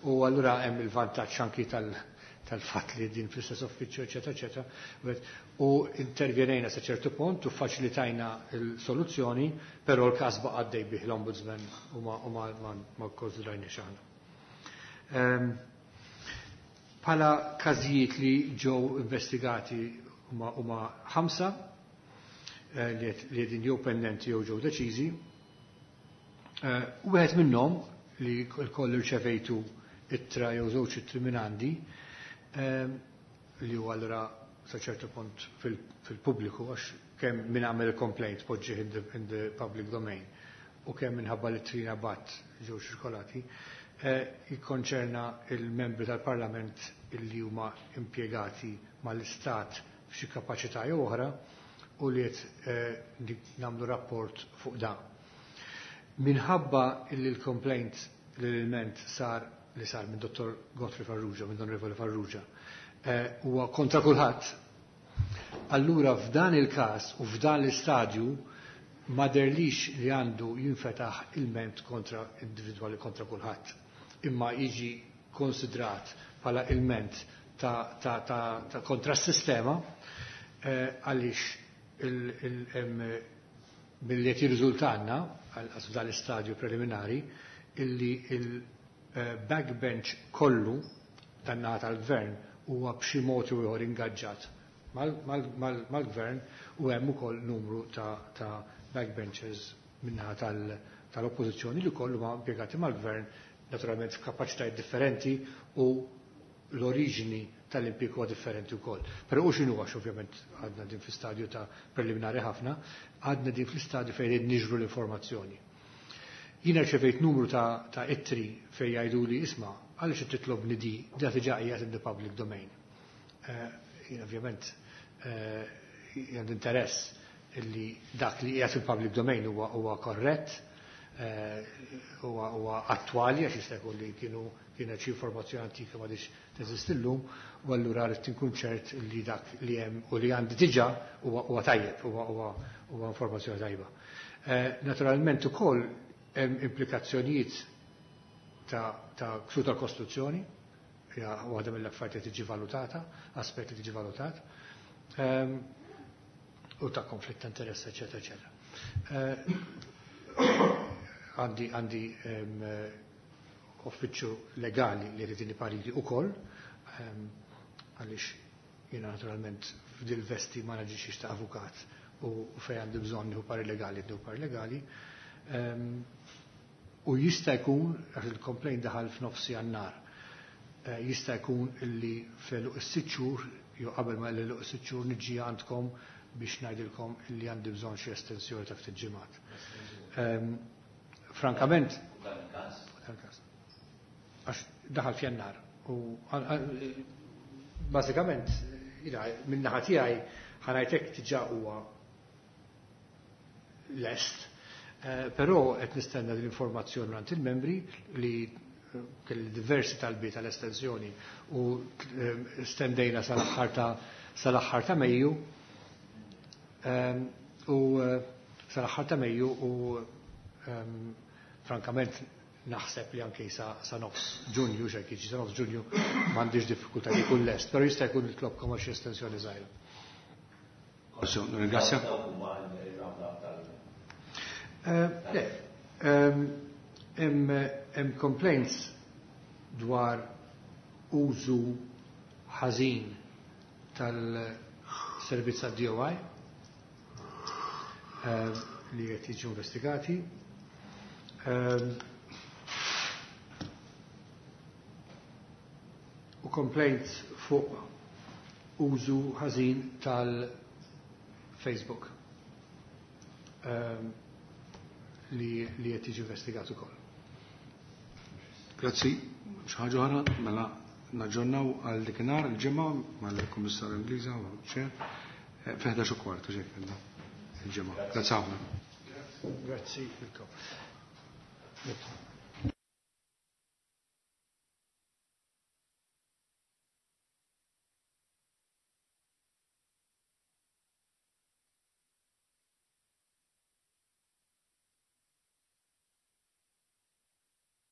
D: U allura hemm il-vantaġġ anki tal-fatt li din fl-istess uffiċċju, eċetera, eċetera. U intervjenejna sa ċertu punt u faċilitajna l-soluzzjoni, però l-każ baqa' għaddej bih l-Ombudsman u ma kkonsidrajniex aħna. Bħala każijiet li ġew investigati huma 5 li qegħdin jew pendenti jew ġew deċiżi. Wieħed minnhom li l-koll irċevejtu ittra jew żewġ ittri minn għandi, li huwa allura sa ċertu punt fil-pubbliku, għax kemm min għamel complaint poġġih in the public domain u kemm minħabba li trina bat ġew ċirkolati, jikkonċerna il-membri tal-Parlament illi huma impjegati mal-Istat f'xi kapaċità jew oħra u li qed nagħmlu rapport fuq dan. Minħabba illi l-complaint l-ilment sar li sar minn Dottor Godfrey Farrugia, minn Onorevoli Farrugia, huwa kontra kulħadd. Allura f'dan il-każ u f'dan l-istadju ma derlix li għandu jinfetaħ ilment kontra individwali kontra kulħadd, imma jiġi konsidrat bħala ilment ta', ta, ta, ta kontra s-sistema għaliex milli qed jirriżultanna għal f'dan l-istadju preliminari illi il-backbench kollu tan-naħa tal-gvern huwa b'xi mod jew ieħor ingaġġat mal-gvern u hemm ukoll numru ta' backbenchers min-naħa tal-oppożizzjoni li kollu ma impjegati mal-gvern, naturalment f'kapaċitajiet differenti u l-oriġini tal-impjieg huwa differenti wkoll. Però u x'inhu, għax ovvjament għadna din fl-istadju ta' preliminari ħafna, għadna din fl-istadju fejn qed niġru l-informazzjoni. Jiena rċevejt numru ta' ittri fejn jgħidu li isma' għaliex qed titlobni di, da diġà qiegħed in the public domain. Jien ovvjament għandi interess illi dak li qiegħed fil-public domain huwa korrett, huwa attwali, għax jista' jkun li kienet xi informazzjoni antika ma diċ teżisti llum, u allura rrid inkun ċert li dak li hemm u li għandi diġà huwa tajjeb, huwa informazzjoni tajba. Naturalment ukoll hemm implikazzjonijiet ta' ksur tal-Kostituzzjoni, hija waħda mill-affarijiet li tiġi valutata, aspett li tiġi valutat, u ta' konflitt ta' interess, eċetera, eċetera. Għandi uffiċċju legali li rridini pariri ukoll, għaliex jiena naturalment f'dil vesti ma naġixxix ta' avukat u fejn għandi bżonn nieħu pari legali, nieħu pari legali. U jista' jkun, għax il-complaint daħal f'nofs Jannar, jista' jkun illi fl-għeluq is-6 xhur, jew qabel ma l-għeluq is-6 xhur niġi għandkom biex ngħidilkom illi għandi bżonn xi estensjoni ta' ftit ġimgħat. Frankament, dan il-każ. Għax daħal f'Jannar u bażikament min-naħa tiegħi ħanajtek diġà huwa lest. Però qed nistenna l-informazzjoni mingħand il-membri li kelli diversi talbiet tal-estensjoni u stendejna sal-aħħar ta' Mejju. U sal-aħħar ta' Mejju u frankament naħseb li anke sa nofs Ġunju, xejn jiġi sa nofs Ġunju m'għandix diffikultà li jkun lest, però jista' jkun nitlobkom għal xi estensjoni żgħira.
A: Ringrazzja.
D: Le, hemm complaints dwar użu ħażin tal-servizz tad-DOI li qed jiġu investigati. U complaints fuq użu ħażin tal-Facebook li qed jiġi investigat ukoll.
A: Grazzi. Xi ħaġa oħra, mela naġġornaw għal dikinhar il-ġimgħa mal-Kummissarju Ingliża u ċer fi 11:15 xejn il-ġimgħa. Grazzi ħafna.
D: Grazzi lilkom.